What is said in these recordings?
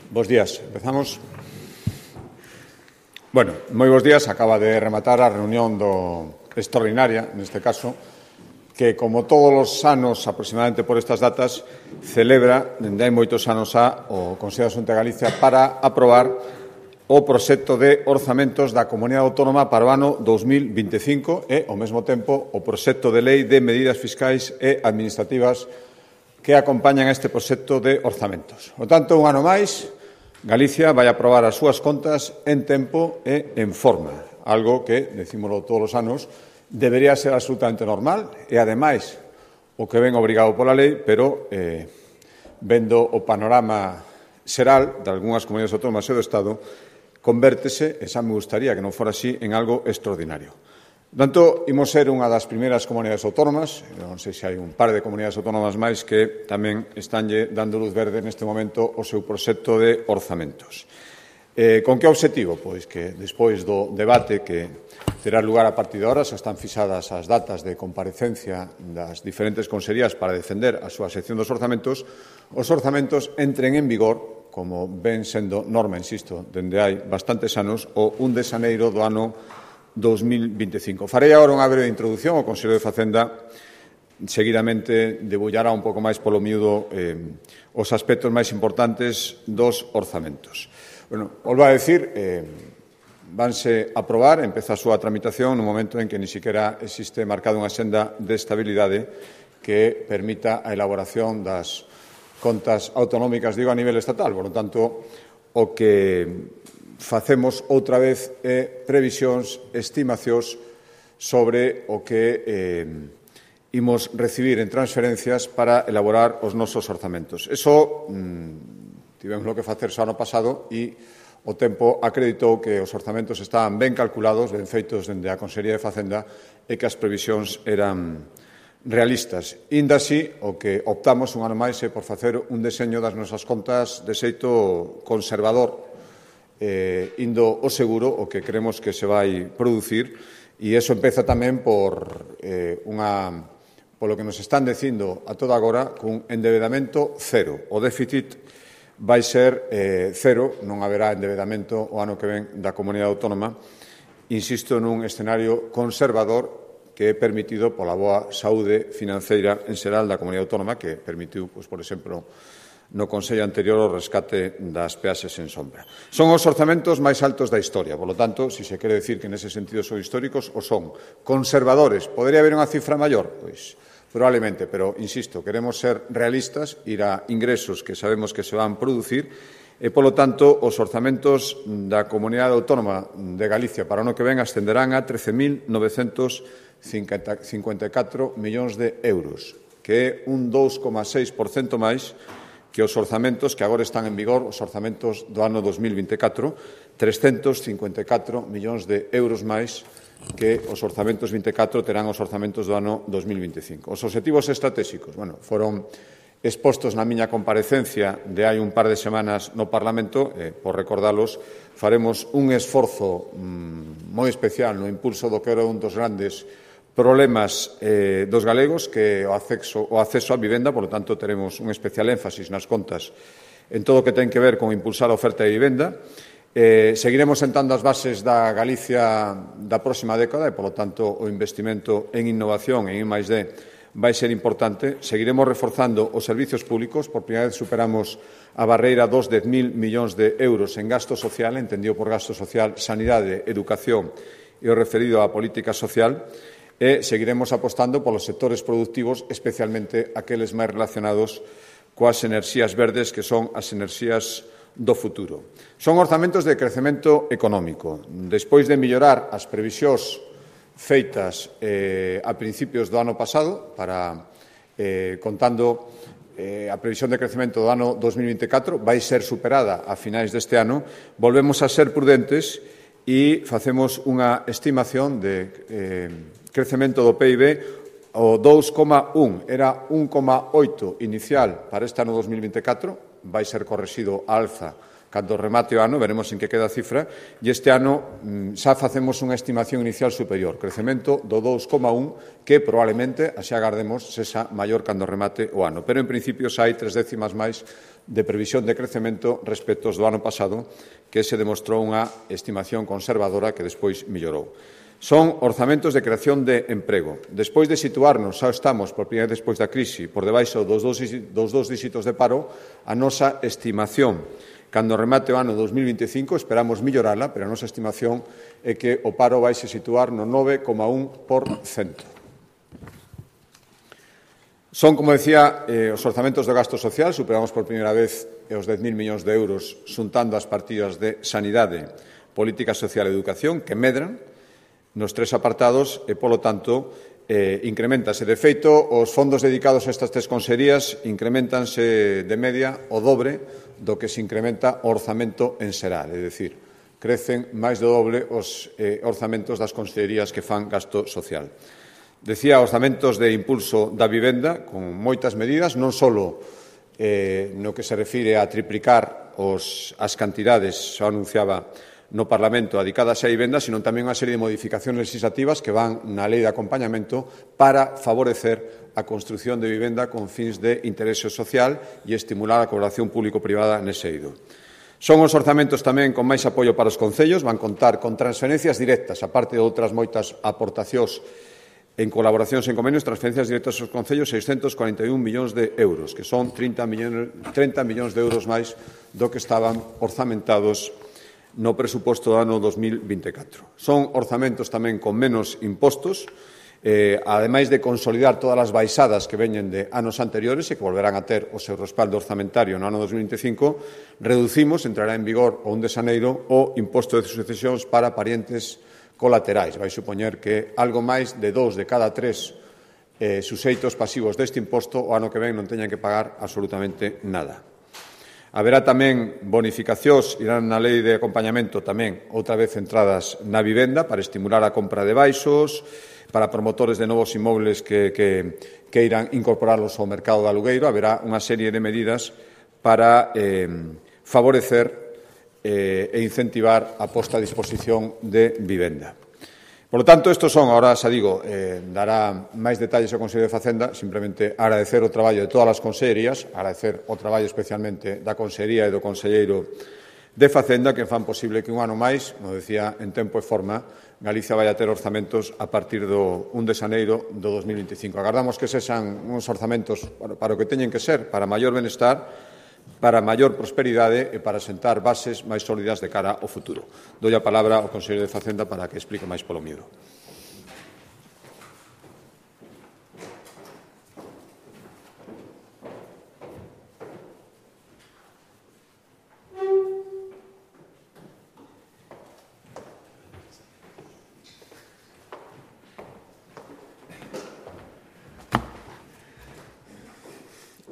Bos días. Empezamos. Bueno, moi bos días. Acaba de rematar a reunión extraordinaria, neste caso, que, como todos os anos, aproximadamente por estas datas, celebra, dende hai moitos anos o Consello da Xunta de Galicia para aprobar o proxecto de orzamentos da Comunidade Autónoma para o ano 2025 e, ao mesmo tempo, o proxecto de lei de medidas fiscais e administrativas que acompañan a este proxecto de orzamentos. Por tanto, un ano máis, Galicia vai aprobar as súas contas en tempo e en forma, algo que, decímolo todos os anos, debería ser absolutamente normal e, ademais, o que ven obrigado pola lei, pero vendo o panorama xeral de algunhas comunidades autónomas e do Estado, convértese, e xa me gustaría que non fora así, en algo extraordinario. Por tanto, imos ser unha das primeiras comunidades autónomas, non sei se hai un par de comunidades autónomas máis que tamén estánlle dando luz verde neste momento o seu proxecto de orzamentos. Con que obxectivo? Pois que, despois do debate que terá lugar a partir de ahora, xa están fixadas as datas de comparecencia das diferentes consellerías para defender a súa sección dos orzamentos, os orzamentos entren en vigor, como ven sendo norma, insisto, dende hai bastantes anos, o 1 de xaneiro do ano 2025. Farei agora unha breve introdución. O Consello de Facenda seguidamente debullará un pouco máis polo miúdo os aspectos máis importantes dos orzamentos. Bueno, volvo a decir, vanse aprobar, empeza a súa tramitación no momento en que ni siquiera existe marcada unha senda de estabilidade que permita a elaboración das contas autonómicas, digo, a nivel estatal. Por lo tanto, o que facemos outra vez previsións, estimacións sobre o que imos recibir en transferencias para elaborar os nosos orzamentos. Eso tivemos que facer xa ano pasado e o tempo acreditou que os orzamentos estaban ben calculados, ben feitos dende a Consellería de Facenda e que as previsións eran realistas. Inda así, o que optamos un ano máis é por facer un deseño das nosas contas de xeito conservador, indo o seguro o que creemos que se vai producir, e iso empeza tamén polo que nos están dicindo a toda agora, cun endebedamento cero. O déficit vai ser cero, non haberá endebedamento o ano que ven da Comunidade Autónoma, insisto, nun escenario conservador que é permitido pola boa saúde financeira en xeral da Comunidade Autónoma, que permitiu, por exemplo, no Consello anterior o rescate das peaxes en sombra. Son os orzamentos máis altos da historia, por lo tanto, se se quere decir que nese sentido son históricos, o son. Conservadores, podería haber unha cifra maior? Pois, probablemente, pero, insisto, queremos ser realistas, ir a ingresos que sabemos que se van producir, e, polo tanto, os orzamentos da Comunidade Autónoma de Galicia para o ano que ven ascenderán a 13.954 millóns de euros, que é un 2,6% máis que os orzamentos que agora están en vigor, os orzamentos do ano 2024, 354 millóns de euros máis que os orzamentos 24 terán os orzamentos do ano 2025. Os obxectivos estratégicos, foron expostos na miña comparecencia de hai un par de semanas no Parlamento. Por recordalos, faremos un esforzo moi especial no impulso do que era un dos grandes problemas dos galegos, que o acceso á vivenda. Por lo tanto, teremos un especial énfasis nas contas en todo o que ten que ver con impulsar a oferta de vivenda. Seguiremos sentando as bases da Galicia da próxima década e, por lo tanto, o investimento en innovación e en I+D vai ser importante. Seguiremos reforzando os servizos públicos. Por primeira vez superamos a barreira dos 10.000 millóns de euros en gasto social, entendido por gasto social, sanidade, educación e o referido á política social. E seguiremos apostando polos sectores productivos, especialmente aqueles máis relacionados coas enerxías verdes, que son as enerxías do futuro. Son orzamentos de crecemento económico. Despois de mellorar as previsións feitas a principios do ano pasado, contando a previsión de crecemento do ano 2024, vai ser superada a finais deste ano, volvemos a ser prudentes e facemos unha estimación de crecemento do PIB o 2,1. Era 1,8 inicial para este ano 2024, vai ser correxido á alza Cando remate o ano, veremos en que queda a cifra, e este ano xa facemos unha estimación inicial superior, crecemento do 2,1, que probablemente, así agardemos, sexa maior cando remate o ano. Pero, en principio, xa hai 3 décimas máis de previsión de crecemento respecto do ano pasado, que se demostrou unha estimación conservadora que despois mellorou. Son orzamentos de creación de emprego. Despois de situarnos, xa estamos, por primeira vez despois da crise, por debaixo dos dous díxitos de paro, a nosa estimación cando remate o ano 2025, esperamos mellorala, pero a nosa estimación é que o paro vai se situar no 9,1%. Son, como decía, os orzamentos do gasto social, superamos por primeira vez os 10.000 millóns de euros xuntando as partidas de sanidade, política social e educación, que medran nos 3 apartados e, polo tanto, incrementase. De feito, os fondos dedicados a estas 3 consellerías incrementanse de media o dobre do que se incrementa o orzamento en xeral, é dicir, crecen máis do doble os orzamentos das consellerías que fan gasto social. Decía, orzamentos de impulso da vivenda, con moitas medidas, non só no que se refire a triplicar as cantidades, xa anunciaba no Parlamento, dedicadas á vivenda, sino tamén unha serie de modificacións legislativas que van na lei de acompañamento para favorecer a construción de vivenda con fins de interese social e estimular a colaboración público-privada nese eido. Son os orzamentos tamén con máis apoio para os concellos, van contar con transferencias directas, aparte de outras moitas aportacións en colaboracións en convenios, transferencias directas aos concellos, 641 millóns de euros, que son 30 millóns de euros máis do que estaban orzamentados no presuposto do ano 2024. Son orzamentos tamén con menos impostos, ademais de consolidar todas as baixadas que veñen de anos anteriores e que volverán a ter o seu respaldo orzamentario no ano 2025, reducimos, entrará en vigor o 1 de xaneiro, o imposto de sucesións para parientes colaterais. Vai supoñer que algo máis de 2 de cada 3 suxeitos pasivos deste imposto o ano que ven non teñan que pagar absolutamente nada. Haberá tamén bonificacións, irán na lei de acompañamento tamén outra vez centradas na vivenda para estimular a compra de baixos, para promotores de novos inmobles que irán incorporarlos ao mercado de alugueiro. Haberá unha serie de medidas para favorecer e incentivar a posta a disposición de vivenda. Por lo tanto, estos son, ahora xa digo, dará máis detalles ao Consello de Facenda, simplemente agradecer o traballo de todas as consellerías, agradecer o traballo especialmente da Consellería e do Conselleiro de Facenda, que fan posible que un ano máis, como decía, en tempo e forma, Galicia vai a ter orzamentos a partir do 1 de xaneiro do 2025. Agardamos que sexan uns orzamentos para o que teñen que ser, para maior benestar, para maior prosperidade e para sentar bases máis sólidas de cara ao futuro. Doi a palabra ao Conselleiro de Facenda para que explique máis polo miúdo.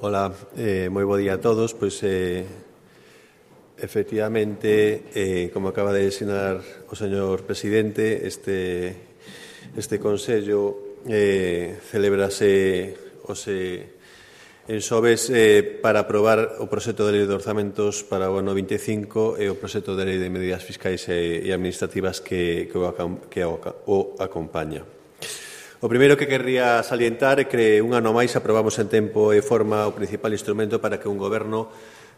Ola, moi bo día a todos. Pois, efectivamente, como acaba de sinalar o señor presidente, este Consello celebrase en xoves para aprobar o proxecto de lei de orzamentos para o ano 25 e o proxecto de lei de medidas fiscais e administrativas que o acompaña. O primeiro que querría salientar é que un ano máis aprobamos en tempo e forma o principal instrumento para que un goberno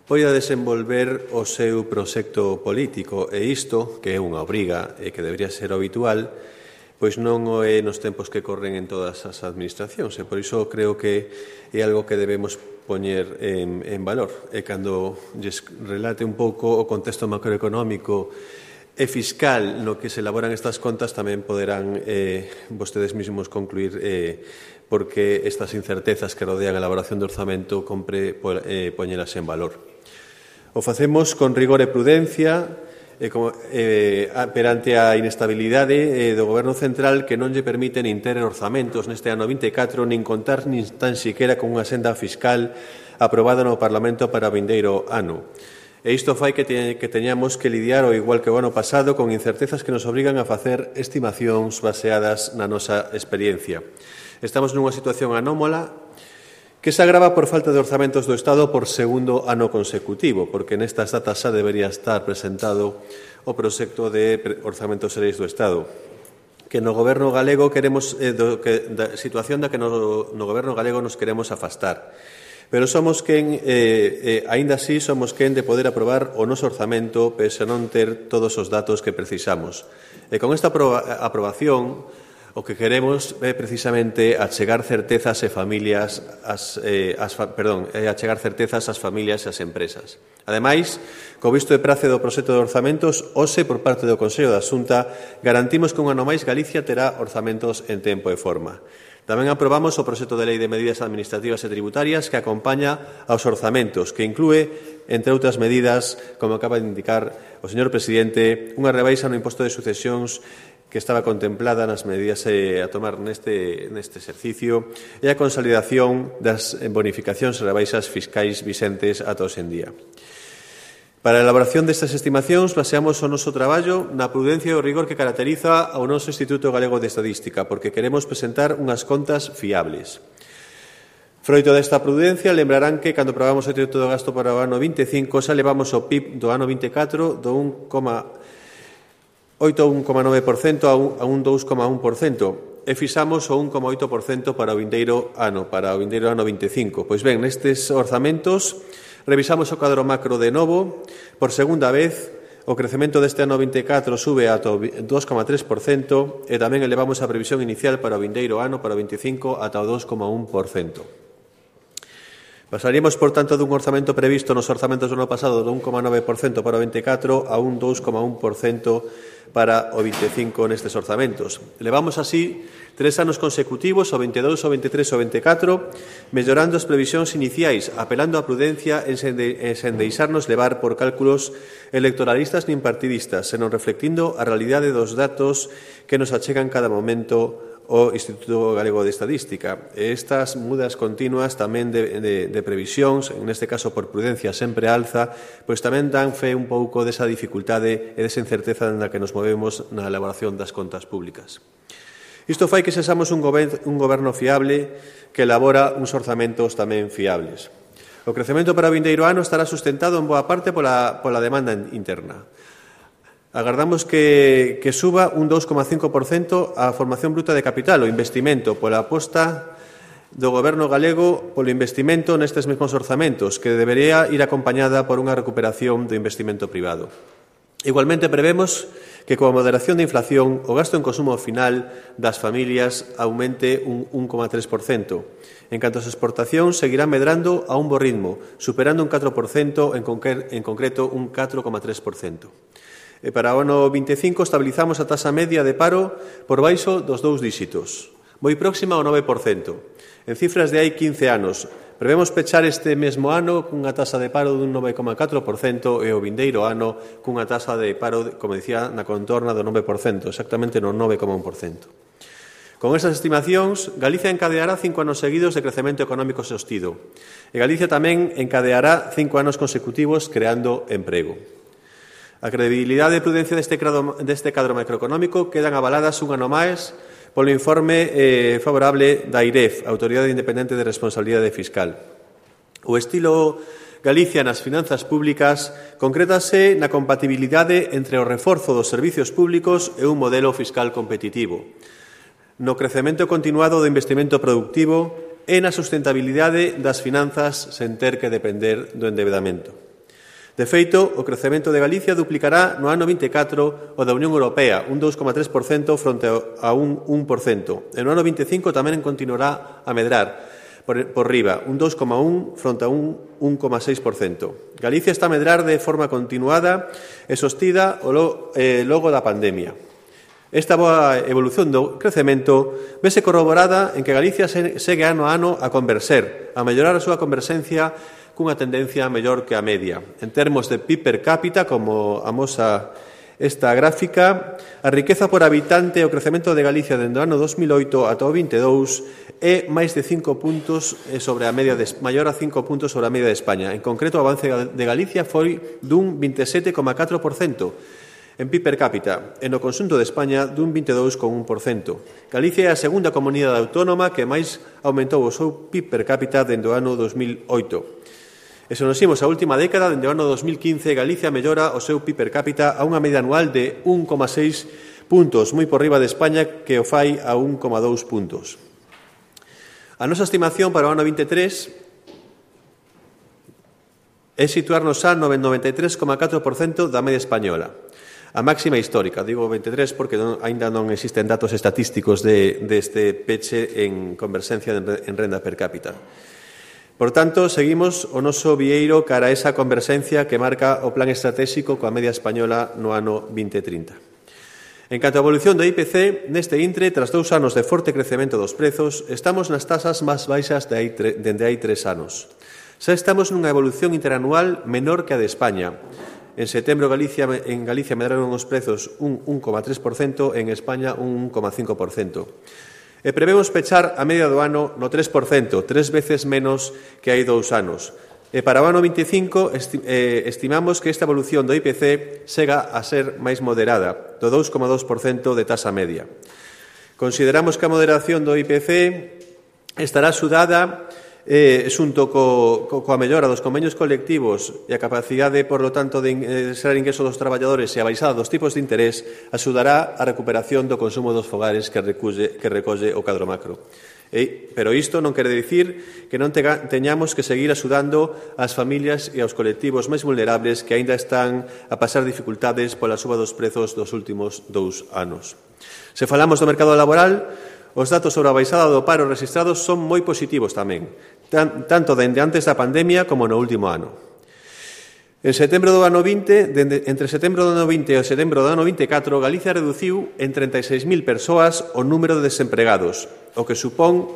poida desenvolver o seu proxecto político, e isto, que é unha obriga e que debería ser habitual, pois non o é nos tempos que corren en todas as administracións, e por iso creo que é algo que debemos poñer en valor. E cando lles relate un pouco o contexto macroeconómico e fiscal no que se elaboran estas contas, tamén poderán vostedes mesmos concluir porque estas incertezas que rodean a elaboración do orzamento compre poñelas en valor. O facemos con rigor e prudencia perante a inestabilidade do Goberno central, que non lle permite nin ter orzamentos neste ano 24, nin contar nin tan siquera con unha senda fiscal aprobada no Parlamento para o vindeiro ano. E isto fai que teñamos que lidiar, ao igual que o ano pasado, con incertezas que nos obrigan a facer estimacións baseadas na nosa experiencia. Estamos nunha situación anómala que se agrava por falta de orzamentos do Estado por segundo ano consecutivo, porque nestas datas xa debería estar presentado o proxecto de orzamentos xerais do Estado, que no Goberno galego queremos da situación da que no Goberno galego nos queremos afastar. Pero somos quen, aínda así, somos quen de poder aprobar o noso orzamento pese a non ter todos os datos que precisamos. E con esta aprobación, o que queremos é precisamente achegar certezas ás familias e ás empresas. Ademais, co visto de prace do proxecto de orzamentos, hoxe, por parte do Consello da Xunta, garantimos que un ano máis Galicia terá orzamentos en tempo e forma. Tamén aprobamos o proxecto de lei de medidas administrativas e tributarias que acompaña aos orzamentos, que inclúe, entre outras medidas, como acaba de indicar o señor presidente, unha rebaixa no imposto de sucesións que estaba contemplada nas medidas a tomar neste exercicio e a consolidación das bonificacións e rebaixas fiscais vixentes ata hoxe en día. Para a elaboración destas estimacións baseamos o noso traballo na prudencia e o rigor que caracteriza ao noso Instituto Galego de Estadística, porque queremos presentar unhas contas fiables. Froito desta prudencia, lembrarán que cando aprobamos o teito do gasto para o ano 25 xa levamos o PIB do ano 24 do 1,9% a un 2,1% e fixamos o 1,8% para o vindeiro ano 25. Pois ben, nestes orzamentos revisamos o cadro macro de novo. Por segunda vez, o crecemento deste ano 24 sube ata o 2,3% e tamén elevamos a previsión inicial para o vindeiro ano, para o 25, ata o 2,1%. Pasaríamos, por tanto, dun orzamento previsto nos orzamentos do ano pasado do 1,9% para o 24 a un 2,1% para o 25 nestes orzamentos. Levamos así 3 anos consecutivos, o 22, o 23 e o 24, mellorando as previsións iniciais, apelando á prudencia e sen deixarnos levar por cálculos electoralistas nin partidistas, senón reflectindo a realidade dos datos que nos achegan cada momento o Instituto Galego de Estadística. E estas mudas continuas tamén de previsións, neste caso por prudencia sempre alza, pois tamén dan fe un pouco desa dificultade e desa incerteza na que nos movemos na elaboración das contas públicas. Isto fai que sexamos un goberno fiable que elabora uns orzamentos tamén fiables. O crecemento para o vindeiro ano estará sustentado en boa parte pola demanda interna. Agardamos que suba un 2,5% a formación bruta de capital, o investimento, pola aposta do Goberno galego polo investimento nestes mesmos orzamentos, que debería ir acompañada por unha recuperación do investimento privado. Igualmente prevemos que coa moderación da inflación o gasto en consumo final das familias aumente un 1,3%. En canto ás exportacións, seguirán medrando a un bo ritmo, superando un 4%, en concreto un 4,3%. E para o ano 25 estabilizamos a taxa media de paro por baixo dos 2 díxitos, moi próxima ao 9%. En cifras de hai 15 anos, prevemos pechar este mesmo ano cunha taxa de paro dun 9,4% e o vindeiro ano cunha taxa de paro, como dicía, na contorna do 9%, exactamente no 9,1%. Con esas estimacións, Galicia encadeará 5 anos seguidos de crecemento económico sostido e Galicia tamén encadeará 5 anos consecutivos creando emprego. A credibilidade e prudencia deste cadro macroeconómico quedan avaladas un ano máis polo informe favorable da AIREF, Autoridade Independente de Responsabilidade Fiscal. O estilo Galicia nas finanzas públicas concrétase na compatibilidade entre o reforzo dos servicios públicos e un modelo fiscal competitivo, no crecemento continuado do investimento productivo e na sustentabilidade das finanzas sen ter que depender do endebedamento. De feito, o crecemento de Galicia duplicará no ano 24 o da Unión Europea, un 2,3% fronte a un 1%. E no ano 25 tamén continuará a medrar por riba, un 2,1% fronte a un 1,6%. Galicia está a medrar de forma continuada e sostida logo da pandemia. Esta boa evolución do crecemento vese corroborada en que Galicia segue ano a ano a converxer, a mellorar a súa converxencia cunha tendencia mellor que a media. En termos de PIB per cápita, como amosa esta gráfica, a riqueza por habitante e o crecemento de Galicia dende o ano 2008 ata o 22 é máis de 5 puntos sobre a media maior a 5 puntos sobre a media de España. En concreto, o avance de Galicia foi dun 27,4%. en PIB per cápita e no conxunto de España dun 22,1%. Galicia é a segunda comunidade autónoma que máis aumentou o seu PIB per cápita dende o ano 2008. E se nos imos a última década, dende o ano 2015, Galicia mellora o seu PIB per cápita a unha media anual de 1,6 puntos, moi por riba de España, que o fai a 1,2 puntos. A nosa estimación para o ano 23 é situarnos xa no 93,4% da media española, a máxima histórica. Digo 23 porque aínda non existen datos estatísticos deste peche en converxencia en renda per cápita. Por tanto, seguimos o noso vieiro cara a esa converxencia que marca o plan estratégico coa media española no ano 2030. En canto á evolución do IPC, neste intre, tras 2 anos de forte crecemento dos prezos, estamos nas tasas máis baixas dende hai 3 anos. Xa estamos nunha evolución interanual menor que a de España. En setembro en Galicia medraron os prezos un 1,3% e en España un 1,5%. E prevemos pechar a media do ano no 3%, 3 veces menos que hai 2 anos. E para o ano 25 estimamos que esta evolución do IPC chega a ser máis moderada, do 2,2% de tasa media. Consideramos que a moderación do IPC estará xudada xunto coa mellora dos convenios colectivos e a capacidade, por lo tanto, de ser ingreso dos traballadores e a baixada dos tipos de interés axudará a recuperación do consumo dos fogares que recolle o cadro macro. Pero isto non quere dicir que non teñamos que seguir axudando ás familias e aos colectivos máis vulnerables que aínda están a pasar dificultades pola suba dos prezos dos últimos 2 anos. Se falamos do mercado laboral, os datos sobre a baixada do paro registrados son moi positivos tamén, tanto dende antes da pandemia como no último ano. En setembro do ano 20, entre setembro do ano 20 e setembro do ano 24, Galicia reduciu en 36.000 persoas o número de desempregados, o que supón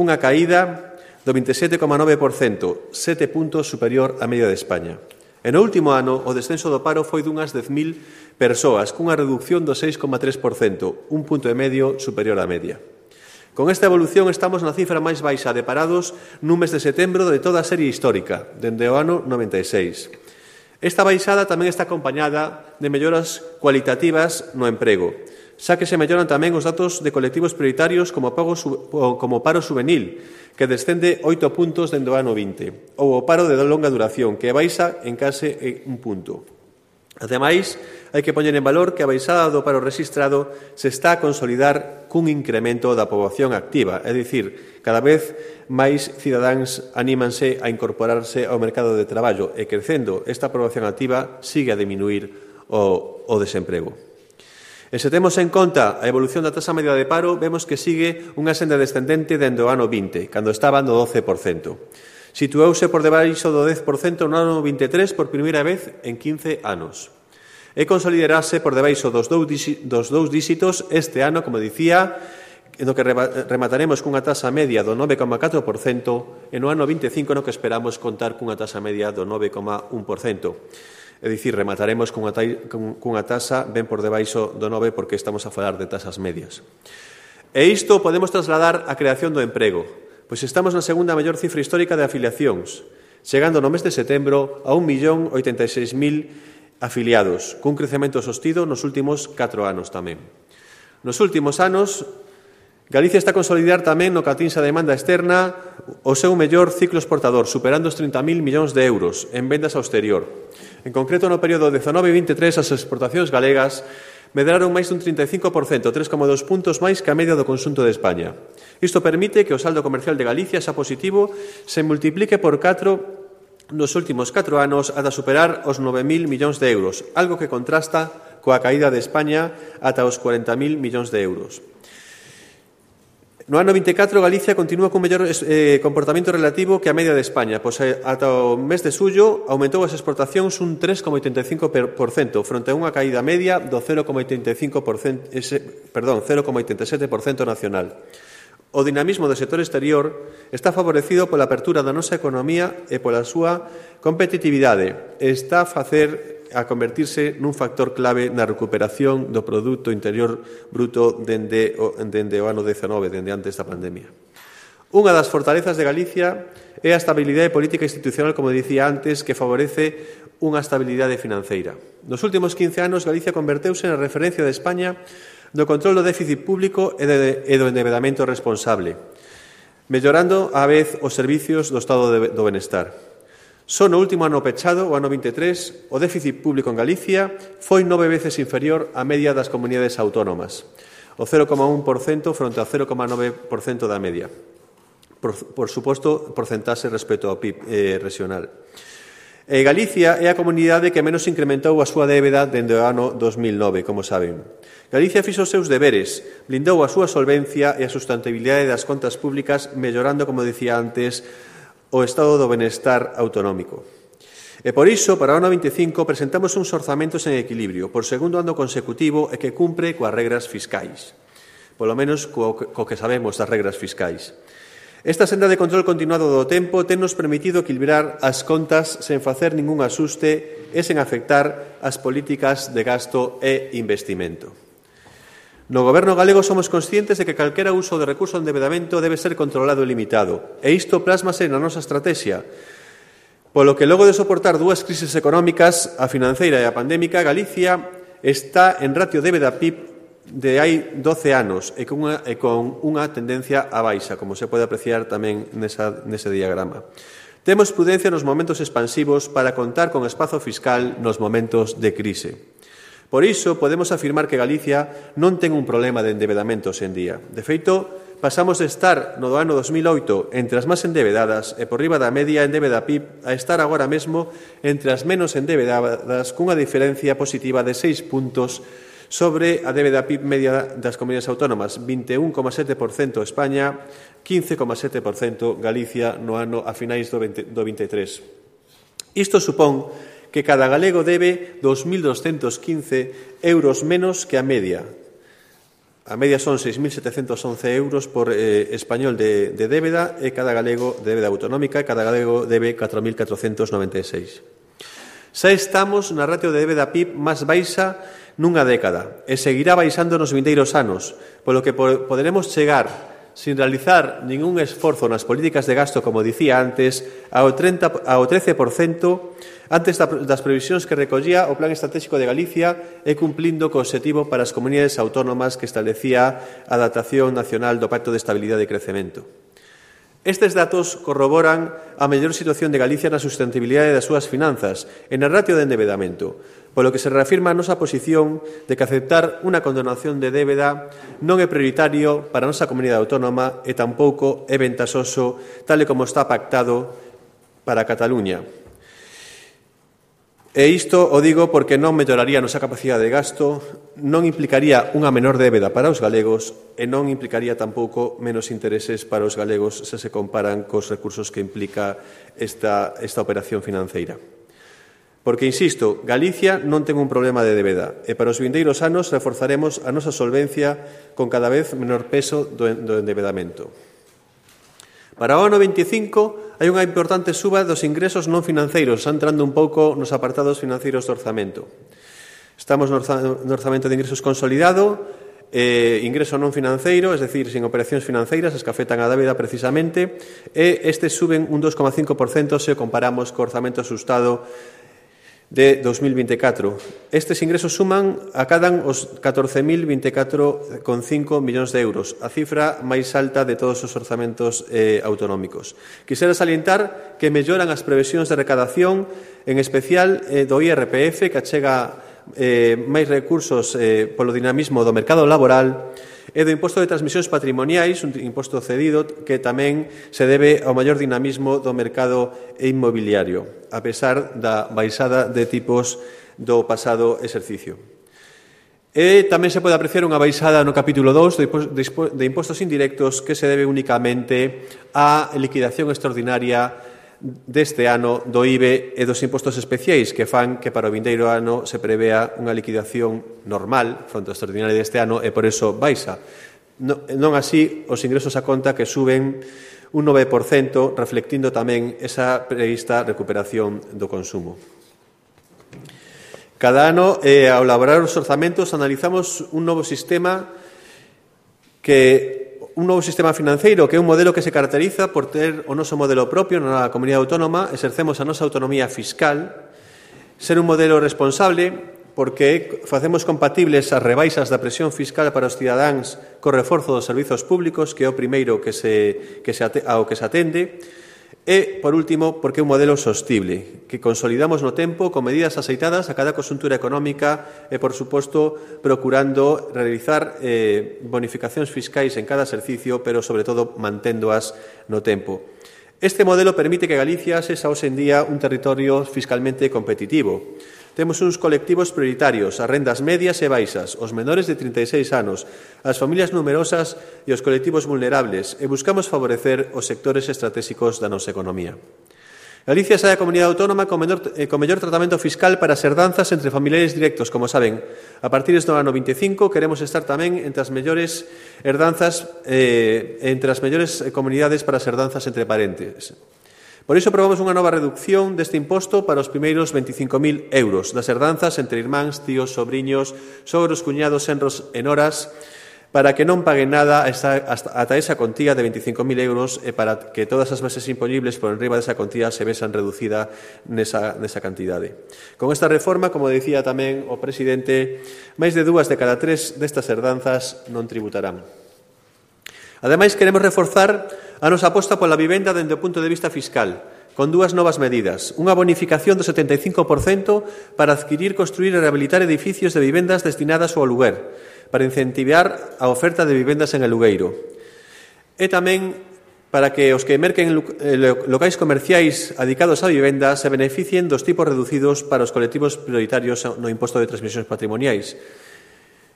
unha caída do 27,9%, 7 puntos superior á media de España. E no último ano, o descenso do paro foi dunhas 10.000 persoas, cunha reducción do 6,3%, un punto e medio superior á media. Con esta evolución estamos na cifra máis baixa de parados nun mes de setembro de toda a serie histórica, dende o ano 96. Esta baixada tamén está acompañada de melloras cualitativas no emprego, xa que se melloran tamén os datos de colectivos prioritarios como paro juvenil, que descende 8 puntos dende o ano 20, ou o paro de longa duración, que baixa en case un punto. Ademais, hai que poñer en valor que a baixada do paro rexistrado se está a consolidar cun incremento da poboación activa, é dicir, cada vez máis cidadáns anímanse a incorporarse ao mercado de traballo e crecendo esta poboación activa sigue a diminuir o desemprego. E se temos en conta a evolución da tasa media de paro, vemos que sigue unha senda descendente dende o ano 20, cando estaba no 12%. Situouse por debaixo do 10% no ano 23 por primeira vez en 15 anos. E consolidarase por debaixo dos dous díxitos este ano, como dicía, no que remataremos cunha tasa media do 9,4% e no ano 25 no que esperamos contar cunha tasa media do 9,1%. É dicir, remataremos cunha tasa ben por debaixo do 9 porque estamos a falar de tasas medias. E isto podemos trasladar á creación do emprego, pois estamos na segunda mellor cifra histórica de afiliacións, chegando no mes de setembro a 1.086.000 afiliados, cun crecemento sostido nos últimos 4 anos tamén. Nos últimos anos, Galicia está a consolidar tamén no que atinse a demanda externa o seu mellor ciclo exportador, superando os 30.000 millóns de euros en vendas ao exterior. En concreto, no período 19-23, as exportacións galegas medraron máis dun 35%, 3,2 puntos máis que a media do conxunto de España. Isto permite que o saldo comercial de Galicia xa positivo se multiplique por 4 nos últimos 4 anos ata superar os 9.000 millóns de euros, algo que contrasta coa caída de España ata os 40.000 millóns de euros. No ano 24, Galicia continúa con mellor comportamento relativo que a media de España, pois ata o mes de xullo aumentou as exportacións un 3,85% fronte a unha caída media do 0,87% nacional. O dinamismo do sector exterior está favorecido pola apertura da nosa economía e pola súa competitividade. Está a convertirse nun factor clave na recuperación do Produto Interior Bruto dende o ano 19, dende antes da pandemia. Unha das fortalezas de Galicia é a estabilidade política e institucional, como dicía antes, que favorece unha estabilidade financeira. Nos últimos 15 anos, Galicia converteuse na referencia de España do control do déficit público e do endebedamento responsable, mellorando á vez os servicios do Estado do Benestar. Só no último ano pechado, o ano 23, o déficit público en Galicia foi 9 veces inferior á media das comunidades autónomas, o 0,1% fronte ao 0,9% da media. Por suposto, porcentaxe respecto ao PIB regional. Galicia é a comunidade que menos incrementou a súa débeda dende o ano 2009, como saben. Galicia fixo os seus deberes, blindou a súa solvencia e a sustentabilidade das contas públicas, mellorando, como dicía antes, o estado do benestar autonómico. E por iso, para o ano 25, presentamos uns orzamentos en equilibrio, por segundo ano consecutivo e que cumpre coas regras fiscais. Polo menos co que sabemos das regras fiscais. Esta senda de control continuado do tempo tennos permitido equilibrar as contas sen facer ningún asuste e sen afectar as políticas de gasto e investimento. No Goberno galego somos conscientes de que calquera uso de recurso de endebedamento debe ser controlado e limitado, e isto plásmase na nosa estrategia, polo que logo de soportar dúas crises económicas, a financeira e a pandémica, Galicia está en ratio débeda-PIB de hai 12 anos e con unha tendencia á baixa, como se pode apreciar tamén nese diagrama. Temos prudencia nos momentos expansivos para contar con espazo fiscal nos momentos de crise. Por iso, podemos afirmar que Galicia non ten un problema de endebedamento hoxe en día. De feito, pasamos de estar no ano 2008 entre as máis endebedadas e por riba da media endebeda PIB a estar agora mesmo entre as menos endebedadas cunha diferencia positiva de 6 puntos sobre a débeda PIB media das comunidades autónomas, 21,7% España, 15,7% Galicia no ano a finais do 23. Isto supón que cada galego debe 2.215 euros menos que a media. A media son 6.711 euros por español de débeda e cada galego de débeda autonómica e cada galego debe 4.496. Xa estamos na ratio de débeda PIB máis baixa nunha década e seguirá baixando nos vindeiros anos, polo que poderemos chegar, sin realizar ningún esforzo nas políticas de gasto, como dicía antes, ao 13% antes das previsións que recollía o Plan Estratégico de Galicia e cumplindo co obxectivo para as comunidades autónomas que establecía a adaptación nacional do Pacto de Estabilidade e Crecemento. Estes datos corroboran a mellor situación de Galicia na sustentabilidade das súas finanzas e na ratio de endebedamento, polo que se reafirma a nosa posición de que aceptar unha condonación de débeda non é prioritario para a nosa comunidade autónoma e tampouco é ventaxoso tal e como está pactado para Cataluña. E isto o digo porque non melloraría a nosa capacidade de gasto, non implicaría unha menor débeda para os galegos e non implicaría tampouco menos intereses para os galegos se se comparan cos recursos que implica esta operación financeira. Porque, insisto, Galicia non ten un problema de débeda e para os vindeiros anos reforzaremos a nosa solvencia con cada vez menor peso do endebedamento. Para o ano 25 hai unha importante suba dos ingresos non financeiros, entrando un pouco nos apartados financeiros do orzamento. Estamos no orzamento de ingresos consolidado, ingreso non financeiro, es decir, sin operacións financeiras, as que afectan a débeda precisamente, e estes suben un 2,5% se comparamos co orzamento asustado de 2024. Estes ingresos acadan os 14.024,5 millóns de euros, a cifra máis alta de todos os orzamentos autonómicos. Quisera salientar que melloran as previsións de recadación, en especial do IRPF, que achega máis recursos polo dinamismo do mercado laboral, e do imposto de transmisións patrimoniais, un imposto cedido que tamén se debe ao maior dinamismo do mercado inmobiliario, a pesar da baixada de tipos do pasado exercicio. E tamén se pode apreciar unha baixada no capítulo 2 de impostos indirectos que se debe únicamente á liquidación extraordinaria deste ano do IBE e dos impostos especiais que fan que para o vindeiro ano se prevea unha liquidación normal fronte ao extraordinario deste ano e por eso baixa. Non así os ingresos a conta que suben un 9%, reflectindo tamén esa prevista recuperación do consumo. Cada ano, ao elaborar os orzamentos, analizamos un novo sistema que un novo sistema financeiro que é un modelo que se caracteriza por ter o noso modelo propio na comunidade autónoma, exercemos a nosa autonomía fiscal, ser un modelo responsable porque facemos compatibles as rebaixas da presión fiscal para os cidadáns co reforzo dos servizos públicos, que é o primeiro ao que se atende, e, por último, porque é un modelo sostible, que consolidamos no tempo con medidas aceitadas a cada conxuntura económica e, por suposto, procurando realizar bonificacións fiscais en cada exercicio, pero, sobre todo, manténdoas no tempo. Este modelo permite que Galicia sexa hoxe en día un territorio fiscalmente competitivo. Temos uns colectivos prioritarios, as rendas medias e baixas, os menores de 36 anos, as familias numerosas e os colectivos vulnerables, e buscamos favorecer os sectores estratégicos da nosa economía. Galicia é a comunidade autónoma con mellor tratamento fiscal para as herdanzas entre familiares directos, como saben. A partir do ano 25 queremos estar tamén entre as mellores herdanzas, entre as mellores comunidades para as herdanzas entre parentes. Por iso aprobamos unha nova reducción deste imposto para os primeiros 25.000 euros das herdanzas entre irmáns, tíos, sobriños, sogros, cuñados, senros e noras, para que non paguen nada ata esa contía de 25.000 euros e para que todas as bases impoñibles por enriba desa contía se vexan reducida nesa cantidade. Con esta reforma, como dicía tamén o presidente, máis de 2 de cada 3 destas herdanzas non tributarán. Ademais, queremos reforzar a nosa aposta pola vivenda dende o punto de vista fiscal, con dúas novas medidas. Unha bonificación do 75% para adquirir, construir e rehabilitar edificios de vivendas destinadas ao aluguer, para incentivar a oferta de vivendas en alugueiro. E tamén para que os que merquen locais comerciais adicados á vivenda se beneficien dos tipos reducidos para os colectivos prioritarios no imposto de transmisións patrimoniais,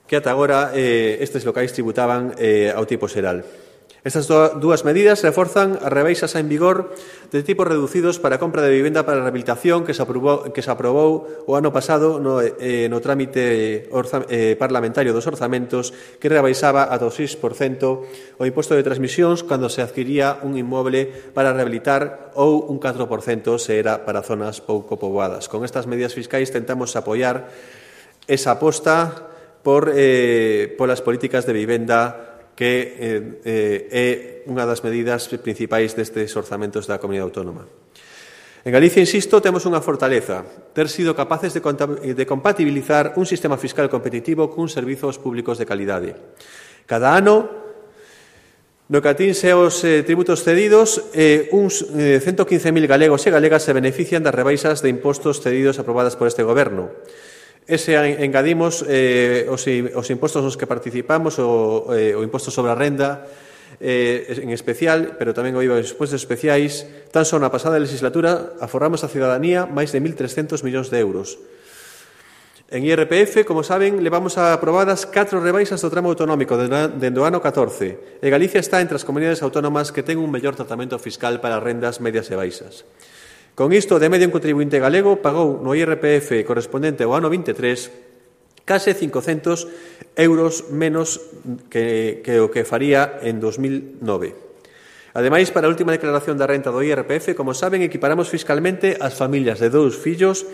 que ata agora estes locais tributaban ao tipo xeral. Estas dúas medidas reforzan as rebaixas en vigor de tipos reducidos para a compra de vivenda para a rehabilitación que se aprobou o ano pasado no trámite parlamentario dos orzamentos, que rebaixaba ata o 6% o imposto de transmisións cando se adquiría un inmoble para rehabilitar ou un 4% se era para zonas pouco poboadas. Con estas medidas fiscais tentamos apoiar esa aposta polas políticas de vivenda que é unha das medidas principais destes orzamentos da comunidade autónoma. En Galicia, insisto, temos unha fortaleza, ter sido capaces de compatibilizar un sistema fiscal competitivo cun servizos públicos de calidade. Cada ano, no que atinse aos tributos cedidos, uns 115.000 galegos e galegas se benefician das rebaixas de impostos cedidos aprobadas por este goberno. Ese engadimos os impostos nos que participamos, o imposto sobre a renda en especial, pero tamén o IVA dos impostos especiais. Tan só na pasada legislatura aforramos a cidadanía máis de 1.300 millóns de euros. En IRPF, como saben, levamos aprobadas 4 rebaixas do tramo autonómico dende o ano 14, e Galicia está entre as comunidades autónomas que ten un mellor tratamento fiscal para rendas medias e baixas. Con isto, de medio, un contribuinte galego pagou no IRPF correspondente ao ano 23 case 500 euros menos que o que faría en 2009. Ademais, para a última declaración da renta do IRPF, como saben, equiparamos fiscalmente as familias de 2 fillos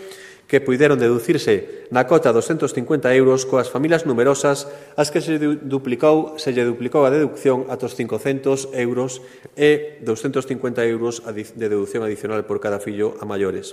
que puideron deducirse na cota 250 euros coas familias numerosas as que se lle duplicou a deducción ata os 500 euros e 250 euros de deducción adicional por cada fillo a maiores.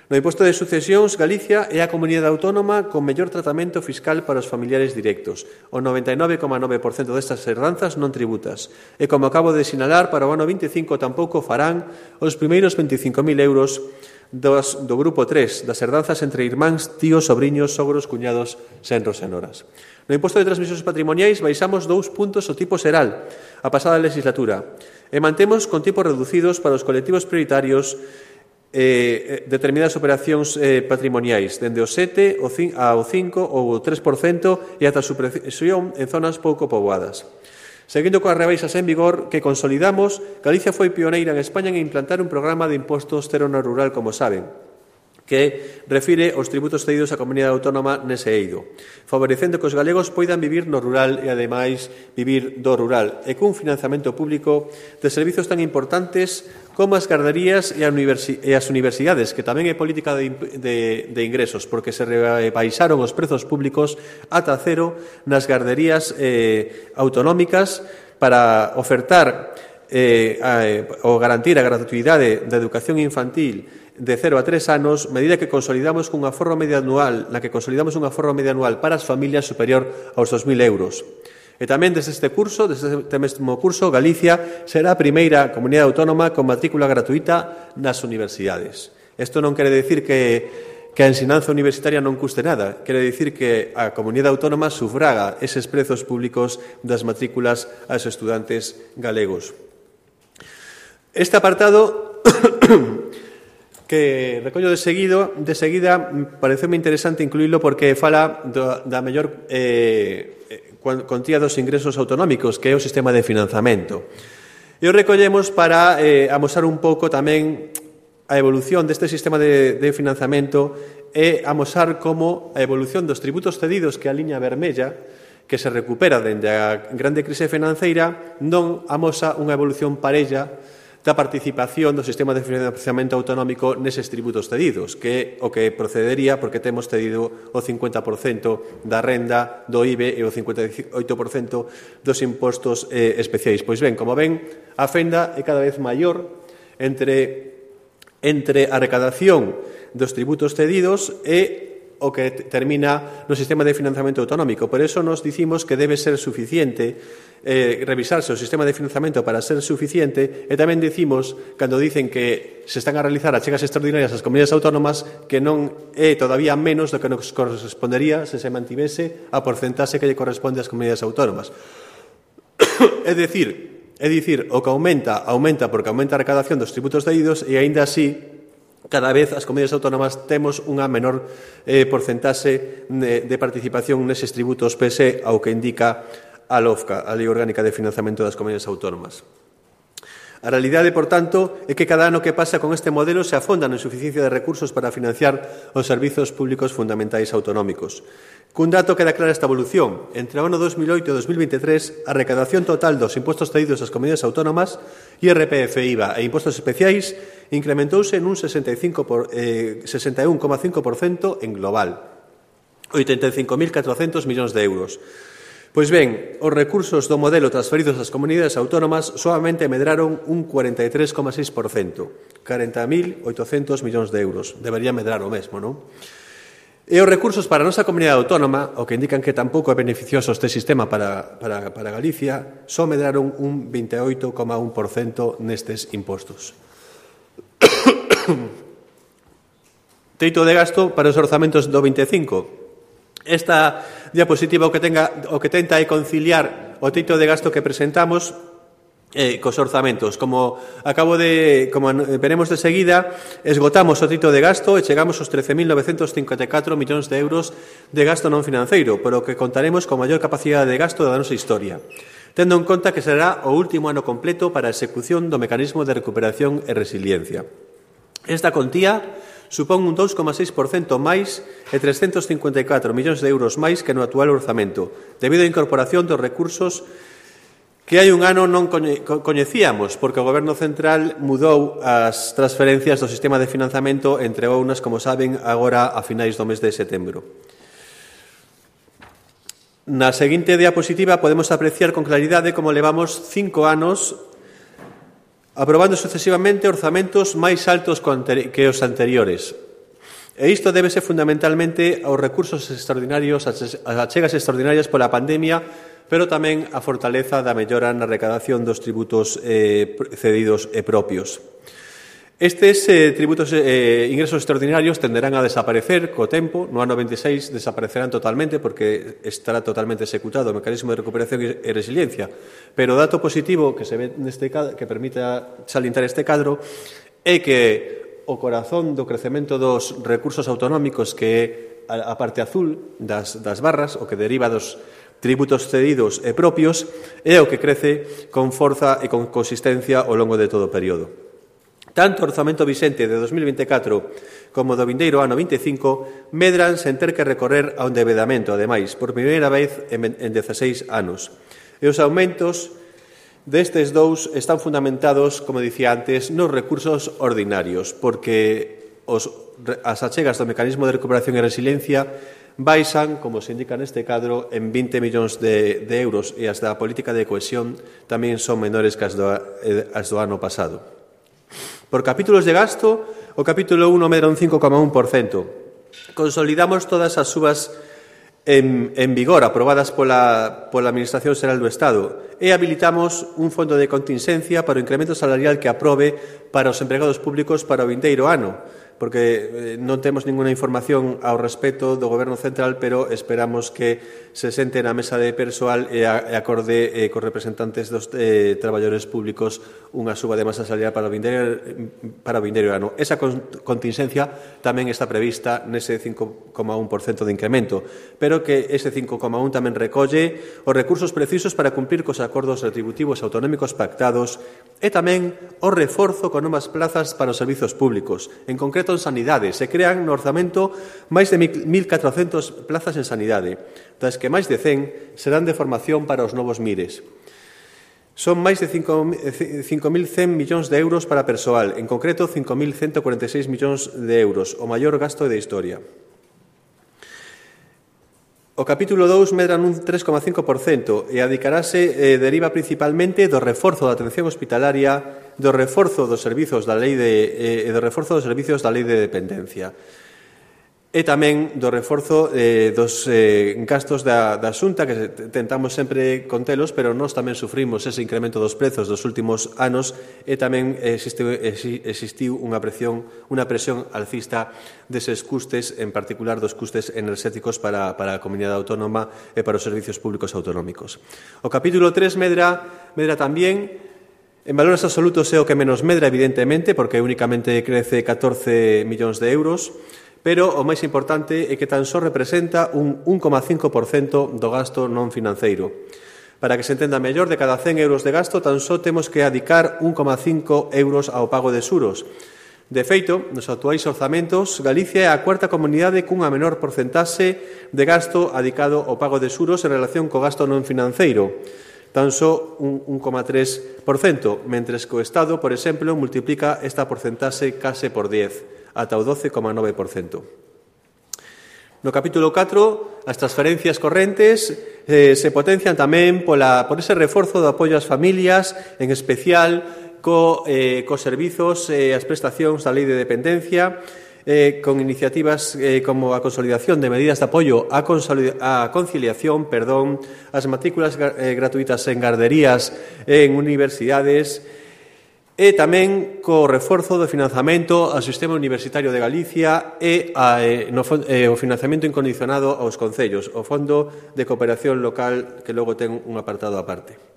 No imposto de sucesións, Galicia é a comunidade autónoma con mellor tratamento fiscal para os familiares directos. O 99,9% destas herdanzas non tributas. E, como acabo de sinalar, para o ano 25 tampouco farán os primeiros 25.000 euros do grupo 3, das herdanzas entre irmáns, tíos, sobriños, sogros, cuñados, senros e noras. No imposto de transmisións patrimoniais baixamos 2 puntos o tipo xeral a pasada legislatura e mantemos con tipos reducidos para os colectivos prioritarios determinadas operacións patrimoniais, dende o 7 ao 5 ou o 3% e ata a supresión en zonas pouco poboadas. Seguindo coas rebaixas en vigor que consolidamos, Galicia foi pioneira en España en implantar un programa de impostos cero no rural, como saben, que refire os tributos cedidos á comunidade autónoma nese eido, favorecendo que os galegos poidan vivir no rural e, ademais, vivir do rural, e cun financiamento público de servizos tan importantes como as garderías e as universidades, que tamén é política de ingresos, porque se rebaixaron os prezos públicos ata cero nas garderías autonómicas para ofertar ou garantir a gratuidade da educación infantil de 0 a 3 anos, medida que consolidamos cunha forma media anual, na que consolidamos unha forma media anual para as familias superior aos 2.000 euros. E tamén desde este mesmo curso, Galicia será a primeira comunidade autónoma con matrícula gratuita nas universidades. Isto non quere dicir que a ensinanza universitaria non custe nada, quere dicir que a comunidade autónoma sufraga eses prezos públicos das matrículas aos estudantes galegos. Este apartado que recollo de seguida pareceume interesante incluílo porque fala da mellor cuantía dos ingresos autonómicos, que é o sistema de financiamento. E o recollemos para amosar un pouco tamén a evolución deste sistema de financiamento e amosar como a evolución dos tributos cedidos, que a liña vermella, que se recupera dende a grande crise financeira, non amosa unha evolución parella da participación do sistema de financiamento autonómico neses tributos cedidos, que é o que procedería porque temos cedido o 50% da renda do IBE e o 58% dos impostos especiais. Pois ben, como ven, a fenda é cada vez maior entre a recadación dos tributos cedidos e o que termina no sistema de financiamento autonómico. Por eso nos dicimos que debe ser suficiente revisarse o sistema de financiamento para ser suficiente e tamén dicimos, cando dicen que se están a realizar achegas extraordinarias ás comunidades autónomas, que non é todavía menos do que nos correspondería se se mantivese a porcentaxe que lle corresponde ás comunidades autónomas. É dicir, o que aumenta porque aumenta a recadación dos tributos cedidos e, aínda así, cada vez as comunidades autónomas temos unha menor porcentaxe de participación neses tributos pese ao que indica a LOFCA, a Lei Orgánica de Financiamento das Comunidades Autónomas. A realidade, por tanto, é que cada ano que pasa con este modelo se afonda na insuficiencia de recursos para financiar os servizos públicos fundamentais autonómicos. Cun dato queda clara esta evolución. Entre o ano 2008 e 2023, a recadación total dos impostos cedidos ás comunidades autónomas, IRPF, IVA e impostos especiais, incrementouse en un 61,5% en global, 85.400 millóns de euros. Pois ben, os recursos do modelo transferidos ás comunidades autónomas solamente medraron un 43,6%, 40.800 millóns de euros. Debería medrar o mesmo, non? E os recursos para a nosa comunidade autónoma, o que indican que tampouco é beneficioso este sistema para Galicia, só medraron un 28,1% nestes impostos. Teito de gasto para os orzamentos do 25. Esta diapositiva o que tenta é conciliar o teito de gasto que presentamos cos orzamentos. Como veremos de seguida, esgotamos o teito de gasto e chegamos aos 13.954 millóns de euros de gasto non financeiro, pero que contaremos con maior capacidade de gasto da nosa historia, tendo en conta que será o último ano completo para a execución do mecanismo de recuperación e resiliencia. Esta contía supón un 2,6% máis e 354 millóns de euros máis que no actual orzamento, debido á incorporación dos recursos que hai un ano non coñecíamos, porque o Goberno Central mudou as transferencias do sistema de financiamento, entre outras, como saben, agora a finais do mes de setembro. Na seguinte diapositiva podemos apreciar con claridade como levamos 5 anos aprobando sucesivamente orzamentos máis altos que os anteriores. E isto débese fundamentalmente aos recursos extraordinarios, ás achegas extraordinarias pola pandemia, pero tamén a fortaleza da mellora na recadación dos tributos cedidos e propios. Estes ingresos extraordinarios tenderán a desaparecer co tempo. No ano 26 desaparecerán totalmente porque estará totalmente executado o mecanismo de recuperación e resiliencia. Pero o dato positivo que se ve que permite salientar este cadro é que o corazón do crecemento dos recursos autonómicos, que é a parte azul das barras, o que deriva dos tributos cedidos e propios, é o que crece con forza e con consistencia ao longo de todo o período. Tanto o orzamento vixente de 2024 como do vindeiro ano 25 medran sen ter que recorrer a un endeudamento, ademais, por primeira vez en 16 anos. E os aumentos destes dous están fundamentados, como dicía antes, nos recursos ordinarios, porque as achegas do mecanismo de recuperación e resiliencia baixan, como se indica neste cadro, en 20 millóns de euros e as da política de cohesión tamén son menores que as do ano pasado. Por capítulos de gasto, o capítulo 1 medra un 5,1%. Consolidamos todas as subas en vigor aprobadas pola Administración Xeral do Estado e habilitamos un fondo de contingencia para o incremento salarial que aprobe para os empregados públicos para o vindeiro ano, porque non temos ninguna información ao respecto do Goberno Central, pero esperamos que se sente na mesa de persoal e acorde cos representantes dos traballadores públicos unha suba de masa salarial para o vindeiro ano. Esa contingencia tamén está prevista nese 5,1% de incremento, pero que ese 5,1 tamén recolle os recursos precisos para cumprir cos acordos retributivos autonómicos pactados e tamén o reforzo con novas plazas para os servizos públicos. En concreto, en sanidade, se crean no orzamento máis de 1.400 plazas en sanidade, das que máis de 100 serán de formación para os novos MIRES. Son máis de 5.100 millóns de euros para persoal, en concreto 5.146 millóns de euros, o maior gasto da historia. O capítulo 2 medra nun 3,5% e deriva principalmente do reforzo da atención hospitalaria, do reforzo dos servizos da lei de dependencia e tamén do reforzo dos gastos da Xunta, que tentamos sempre contelos, pero nós tamén sufrimos ese incremento dos prezos dos últimos anos e tamén existiu unha presión alcista deses custes, en particular dos custes enerxéticos para a comunidade autónoma e para os servizos públicos autonómicos. O capítulo 3 medra tamén. En valores absolutos é o que menos medra, evidentemente, porque únicamente crece 14 millóns de euros, pero o máis importante é que tan só representa un 1,5% do gasto non financeiro. Para que se entenda mellor, de cada 100 euros de gasto, tan só temos que adicar 1,5 euros ao pago de xuros. De feito, nos actuais orzamentos, Galicia é a cuarta comunidade cunha menor porcentaxe de gasto adicado ao pago de xuros en relación co gasto non financeiro, tan só un 1,3%, mentres que o Estado, por exemplo, multiplica esta porcentaxe case por 10, ata o 12,9%. No capítulo 4, as transferencias correntes se potencian tamén por ese reforzo do apoio ás familias, en especial cos servizos e as prestacións da lei de dependencia, con iniciativas como a consolidación de medidas de apoio á conciliación, as matrículas gratuitas en garderías en universidades, e tamén co reforzo do financiamento ao sistema universitario de Galicia e o financiamento incondicionado aos concellos, o Fondo de Cooperación Local, que logo ten un apartado aparte.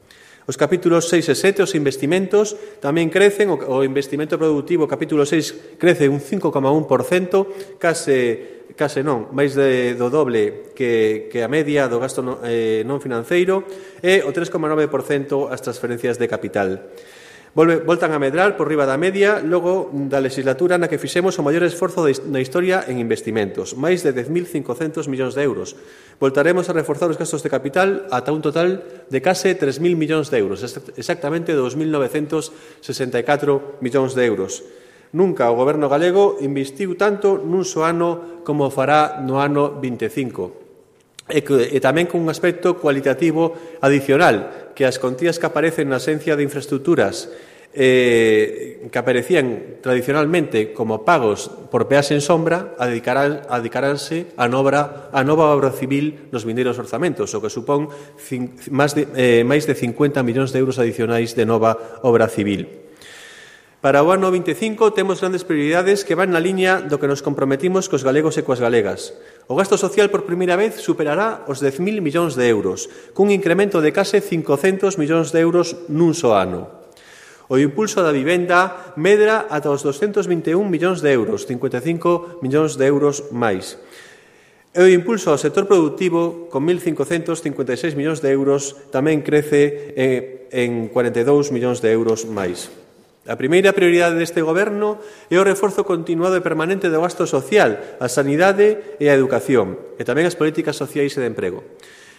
Os capítulos 6 e 7, os investimentos, tamén crecen. O investimento productivo, capítulo 6, crece un 5,1%, case non, máis do doble que a media do gasto non financeiro, e o 3,9% as transferencias de capital. Voltan a medrar por riba da media logo da legislatura na que fixemos o maior esforzo na historia en investimentos, máis de 10.500 millóns de euros. Voltaremos a reforzar os gastos de capital ata un total de case 3.000 millóns de euros, exactamente 2.964 millóns de euros. Nunca o Goberno galego investiu tanto nun só ano como fará no ano 25. E tamén con un aspecto cualitativo adicional, que as contías que aparecen na Axencia de Infraestructuras que aparecían tradicionalmente como pagos por peaxe en sombra adicaranse a nova obra civil nos vindeiros orzamentos, o que supón máis de 50 millóns de euros adicionais de nova obra civil. Para o ano 25 temos grandes prioridades que van na liña do que nos comprometimos cos galegos e coas galegas. O gasto social por primeira vez superará os 10.000 millóns de euros, cun incremento de case 500 millóns de euros nun só ano. O impulso da vivenda medra ata os 221 millóns de euros, 55 millóns de euros máis. E o impulso ao sector productivo, con 1.556 millóns de euros, tamén crece en 42 millóns de euros máis. A primeira prioridade deste Goberno é o reforzo continuado e permanente do gasto social, a sanidade e a educación, e tamén as políticas sociais e de emprego.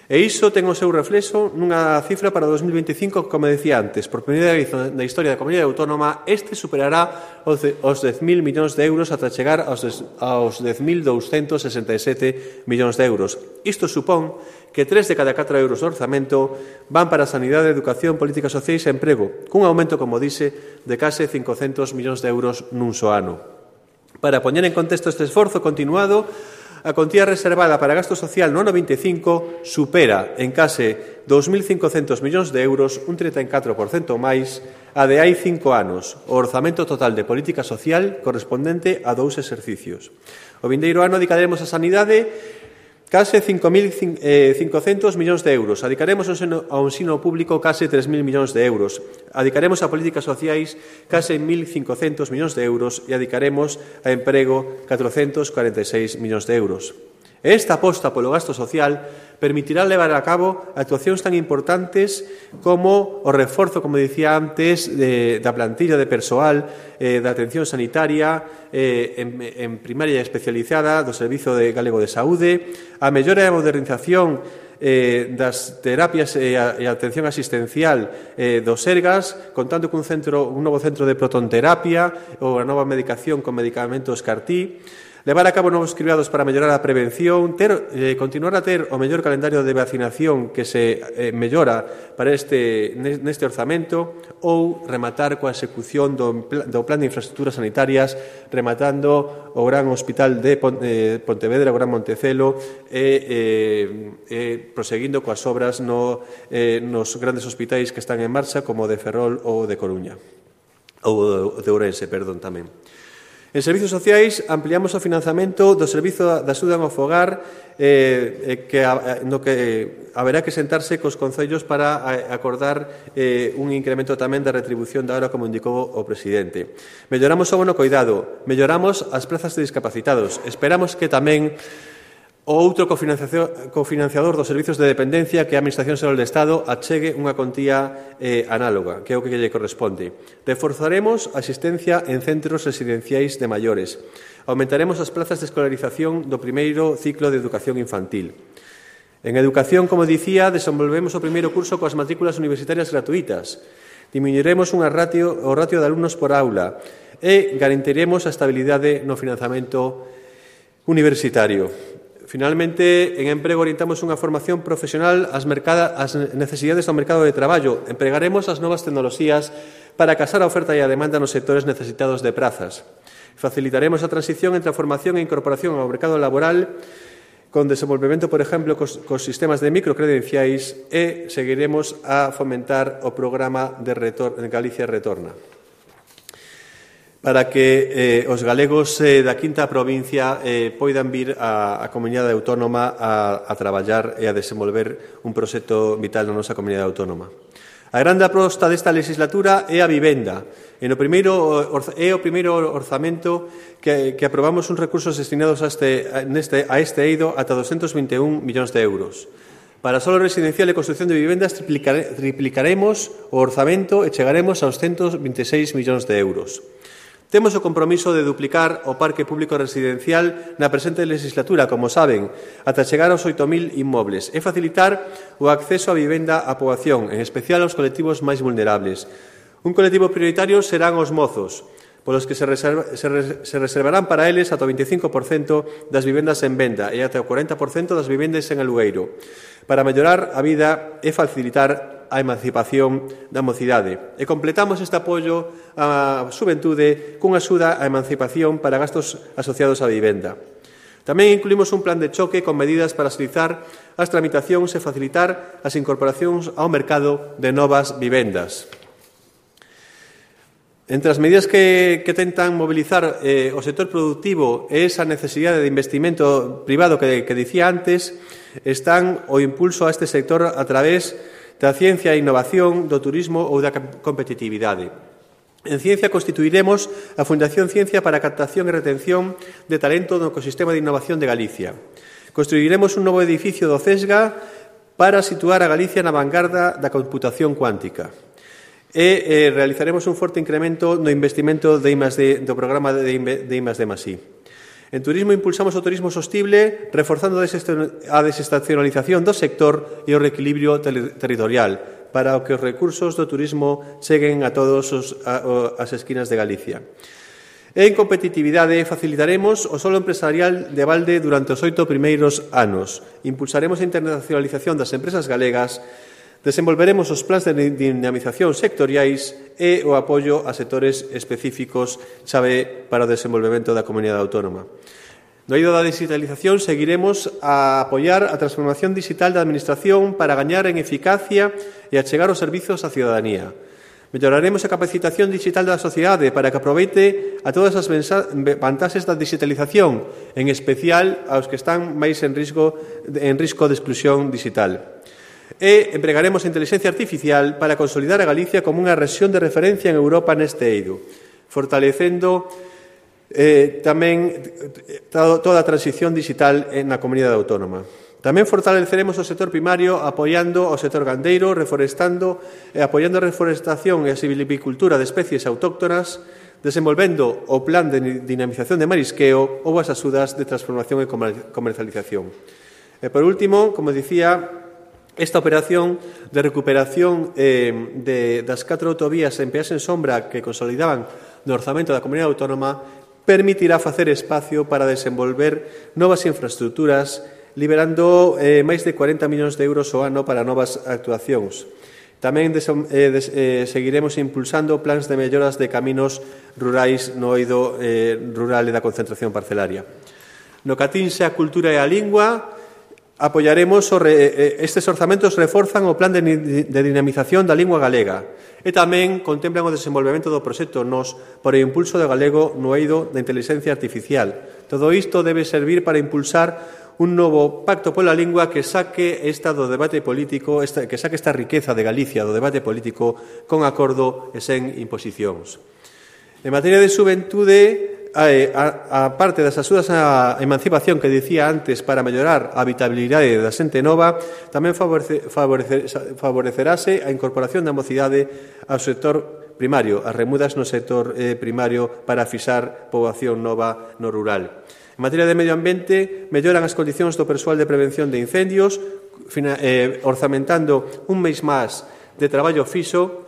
E iso ten o seu reflexo nunha cifra para 2025 que, como decía antes, por primeira vez na historia da Comunidade Autónoma, este superará os 10.000 millóns de euros ata chegar aos 10.267 millóns de euros. Isto supón que 3 de cada 4 euros do orzamento van para a sanidade, educación, políticas sociais e emprego, cun aumento, como dixe, de case 500 millóns de euros nun só ano. Para poñer en contexto este esforzo continuado, a contía reservada para gasto social no ano 25 supera en case 2.500 millóns de euros, un 34% máis, a de hai 5 anos, o orzamento total de política social correspondente a 2 exercicios. O vindeiro ano dedicaremos a sanidade case 5.500 millóns de euros. Adicaremos ao ensino público case 3.000 millóns de euros. Adicaremos a políticas sociais case 1.500 millóns de euros e adicaremos a emprego 446 millóns de euros. Esta aposta polo gasto social permitirá levar a cabo actuacións tan importantes como o reforzo, como dicía antes, da plantilla de persoal, da atención sanitaria en primaria e especializada do Servizo Galego de Saúde, a mellora e a modernización das terapias e a atención asistencial dos Sergas, contando cun novo centro de protonterapia ou a nova medicación con medicamentos CAR-T, levar a cabo novos cribados para mellorar a prevención, continuar a ter o mellor calendario de vacinación que se mellora para neste orzamento, ou rematar coa execución do Plan de Infraestructuras Sanitarias, rematando o Gran Hospital de Pontevedra, o Gran Montecelo, e proseguindo coas obras nos grandes hospitais que están en marcha, como o de Ferrol ou de Coruña, ou de Ourense, perdón, tamén. En servizos sociais, ampliamos o financiamento do Servizo de Axuda ao Fogar, no que haberá que sentarse cos concellos para acordar un incremento tamén da retribución da hora, como indicou o presidente. Melloramos o bono coidado, melloramos as prazas de discapacitados. Esperamos que tamén o outro cofinanciador dos servizos de dependencia, que é a Administración Xeral do Estado, achegue unha contía análoga, que é o que lle corresponde. Reforzaremos a asistencia en centros residenciais de maiores. Aumentaremos as plazas de escolarización do primeiro ciclo de educación infantil. En educación, como dicía, desenvolvemos o primeiro curso coas matrículas universitarias gratuitas. Diminuiremos o ratio de alumnos por aula e garantiremos a estabilidade no financiamento universitario. Finalmente, en emprego orientamos unha formación profesional ás necesidades do mercado de traballo. Empregaremos as novas tecnoloxías para casar a oferta e a demanda nos sectores necesitados de prazas. Facilitaremos a transición entre a formación e a incorporación ao mercado laboral con desenvolvemento, por exemplo, cos sistemas de microcredenciais, e seguiremos a fomentar o programa de Galicia Retorna, para que os galegos da quinta provincia poidan vir á comunidade autónoma a traballar e a desenvolver un proxecto vital na nosa comunidade autónoma. A grande aposta desta legislatura é a vivenda. É o primeiro orzamento que aprobamos uns recursos destinados a este eido ata 221 millóns de euros. Para solo residencial e construcción de vivendas triplicaremos o orzamento e chegaremos aos 126 millóns de euros. Temos o compromiso de duplicar o parque público residencial na presente legislatura, como saben, ata chegar aos 8.000 inmobles, e facilitar o acceso á vivenda á poboación, en especial aos colectivos máis vulnerables. Un colectivo prioritario serán os mozos, polos que se reservarán para eles ata o 25% das vivendas en venda e ata o 40% das vivendas en alugueiro, para mellorar a vida e facilitar a emancipación da mocidade. E completamos este apoio á xuventude cunha axuda á emancipación para gastos asociados á vivenda. Tamén incluímos un plan de choque con medidas para agilizar as tramitacións e facilitar as incorporacións ao mercado de novas vivendas. Entre as medidas que tentan mobilizar o sector productivo e esa necesidade de investimento privado que dicía antes, están o impulso a este sector a través da ciencia e innovación, do turismo ou da competitividade. En Ciencia constituiremos a Fundación Ciencia para a captación e retención de talento no ecosistema de innovación de Galicia. Construiremos un novo edificio do CESGA para situar a Galicia na vanguarda da computación cuántica. E realizaremos un forte incremento no investimento de I+D, do programa de I+D+I. En turismo impulsamos o turismo sostible, reforzando a desestacionalización do sector e o reequilibrio territorial, para que os recursos do turismo cheguen a todas as esquinas de Galicia. En competitividade, facilitaremos o solo empresarial de balde durante os 8 primeiros anos. Impulsaremos a internacionalización das empresas galegas, desenvolveremos os plans de dinamización sectoriais e o apoio a sectores específicos chave para o desenvolvemento da comunidade autónoma. No eido da digitalización seguiremos a apoiar a transformación digital da Administración para gañar en eficacia e achegar os servizos á cidadanía. Melloraremos a capacitación digital da sociedade para que aproveite a todas as vantaxes da digitalización, en especial aos que están máis en risco de exclusión digital. E empregaremos a inteligencia artificial para consolidar a Galicia como unha rexión de referencia en Europa neste eido, fortalecendo tamén toda a transición digital na comunidade autónoma. Tamén fortaleceremos o sector primario apoiando o sector gandeiro, apoiando a reforestación e a silvicultura de especies autóctonas, desenvolvendo o plan de dinamización de marisqueo ou as axudas de transformación e comercialización. E, por último, como dicía, esta operación de recuperación das 4 autovías en peaxe en sombra que consolidaban no orzamento da comunidade autónoma permitirá facer espacio para desenvolver novas infraestructuras, liberando máis de 40 millóns de euros ao ano para novas actuacións. Tamén seguiremos impulsando plans de melloras de caminos rurais no eido rural e da concentración parcelaria. No que atinxe a cultura e a lingua, apoiaremos estes orzamentos reforzan o plan de dinamización da lingua galega e tamén contemplan o desenvolvemento do proxecto NOS por o impulso do galego no eido da inteligencia artificial. Todo isto debe servir para impulsar un novo pacto pola lingua que saque esta do debate político, que saque esta riqueza de Galicia do debate político con acordo e sen imposicións. En materia de xuventude, a parte das axudas á emancipación que dicía antes para mellorar a habitabilidade da xente nova, tamén favorecerase a incorporación da mocidade ao sector primario, as remudas no sector primario para fixar poboación nova no rural. En materia de medio ambiente, melloran as condicións do persoal de prevención de incendios, orzamentando un mes máis de traballo fixo.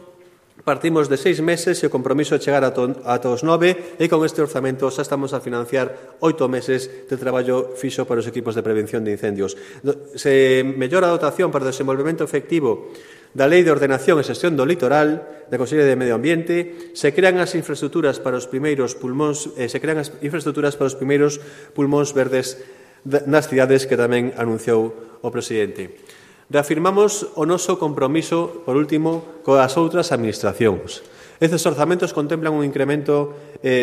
Partimos de 6 meses e o compromiso é chegar ata os 9 e con este orzamento xa estamos a financiar 8 meses de traballo fixo para os equipos de prevención de incendios. Se mellora a dotación para o desenvolvemento efectivo da Lei de Ordenación e Xestión do Litoral, da Consellería de Medio Ambiente, se crean as infraestruturas para os primeiros pulmóns verdes nas cidades que tamén anunciou o presidente. Reafirmamos o noso compromiso, por último, coas outras administracións. Estes orzamentos contemplan un incremento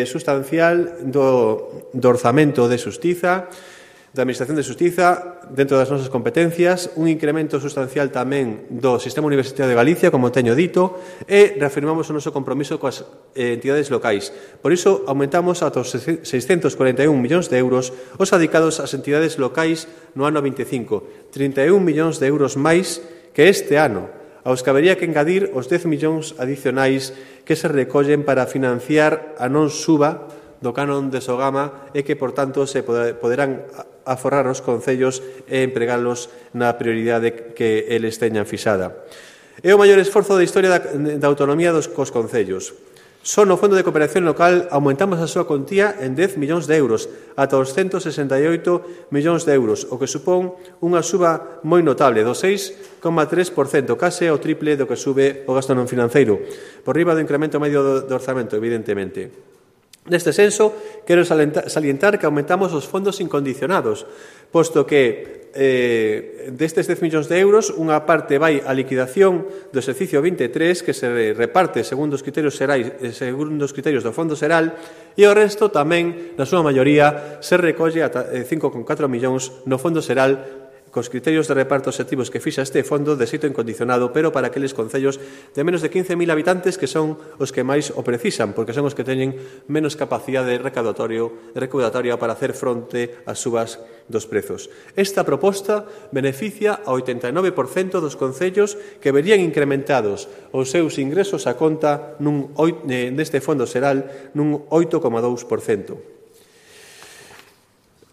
sustancial do orzamento de Xustiza, da Administración de Xustiza, dentro das nosas competencias, un incremento sustancial tamén do Sistema Universitario de Galicia, como teño dito, e reafirmamos o noso compromiso coas entidades locais. Por iso, aumentamos ata os 641 millóns de euros os adicados ás entidades locais no ano 25, 31 millóns de euros máis que este ano, aos que habería que engadir os 10 millóns adicionais que se recollen para financiar a non suba do canon de Sogama e que, por tanto, se poderán aforrar os concellos e empregalos na prioridade que eles teñan fixada. É o maior esforzo da historia da autonomía cos concellos. Só no Fondo de Cooperación Local aumentamos a súa contía en 10 millóns de euros, ata os 168 millóns de euros, o que supón unha suba moi notable do 6,3%, case o triple do que sube o gasto non financeiro, por riba do incremento medio do orzamento, evidentemente. Neste senso, quero salientar que aumentamos os fondos incondicionados, posto que destes 10 millóns de euros, unha parte vai á liquidación do exercicio 23, que se reparte segundo os criterios do Fondo Xeral, e o resto tamén, na súa maioría, se recolle ata 5,4 millóns no Fondo Xeral, cos criterios de reparto obxectivos que fixa este fondo de xeito incondicionado, pero para aqueles concellos de menos de 15.000 habitantes que son os que máis o precisan, porque son os que teñen menos capacidade recaudatoria para hacer fronte ás subas dos prezos. Esta proposta beneficia ao 89% dos concellos que verían incrementados os seus ingresos a conta neste fondo xeral nun 8,2%.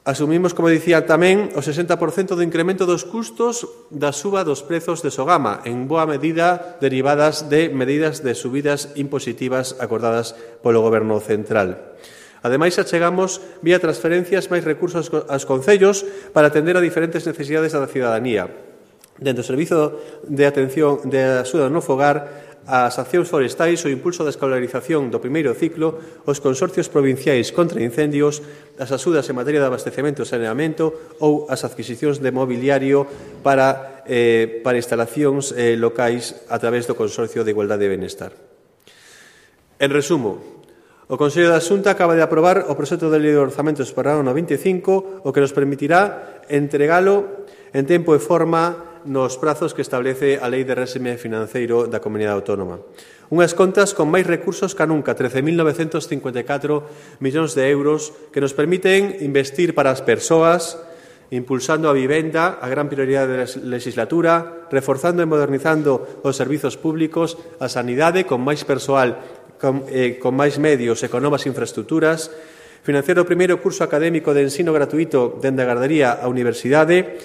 Asumimos, como dicía tamén, o 60% do incremento dos custos da suba dos prezos de Sogama, en boa medida derivadas de medidas de subidas impositivas acordadas polo Goberno central. Ademais, achegamos, vía transferencias, máis recursos aos concellos para atender a diferentes necesidades da cidadanía. Dentro do Servizo de Atención de Axuda no Fogar, as accións forestais, o impulso da escolarización do primeiro ciclo, os consorcios provinciais contra incendios, as axudas en materia de abastecemento e saneamento ou as adquisicións de mobiliario para instalacións locais a través do Consorcio de Igualdade e Benestar. En resumo, o Consello da Xunta acaba de aprobar o proxecto de lei de orzamentos para o ano 25, o que nos permitirá entregalo en tempo e forma nos prazos que establece a Lei de Réxime Financeiro da Comunidade Autónoma. Unhas contas con máis recursos que nunca, 13.954 millóns de euros, que nos permiten investir para as persoas, impulsando a vivenda, a gran prioridade da legislatura, reforzando e modernizando os servizos públicos, a sanidade con máis persoal, con máis medios e con novas infraestructuras, financiar o primeiro curso académico de ensino gratuito dende a gardería á universidade,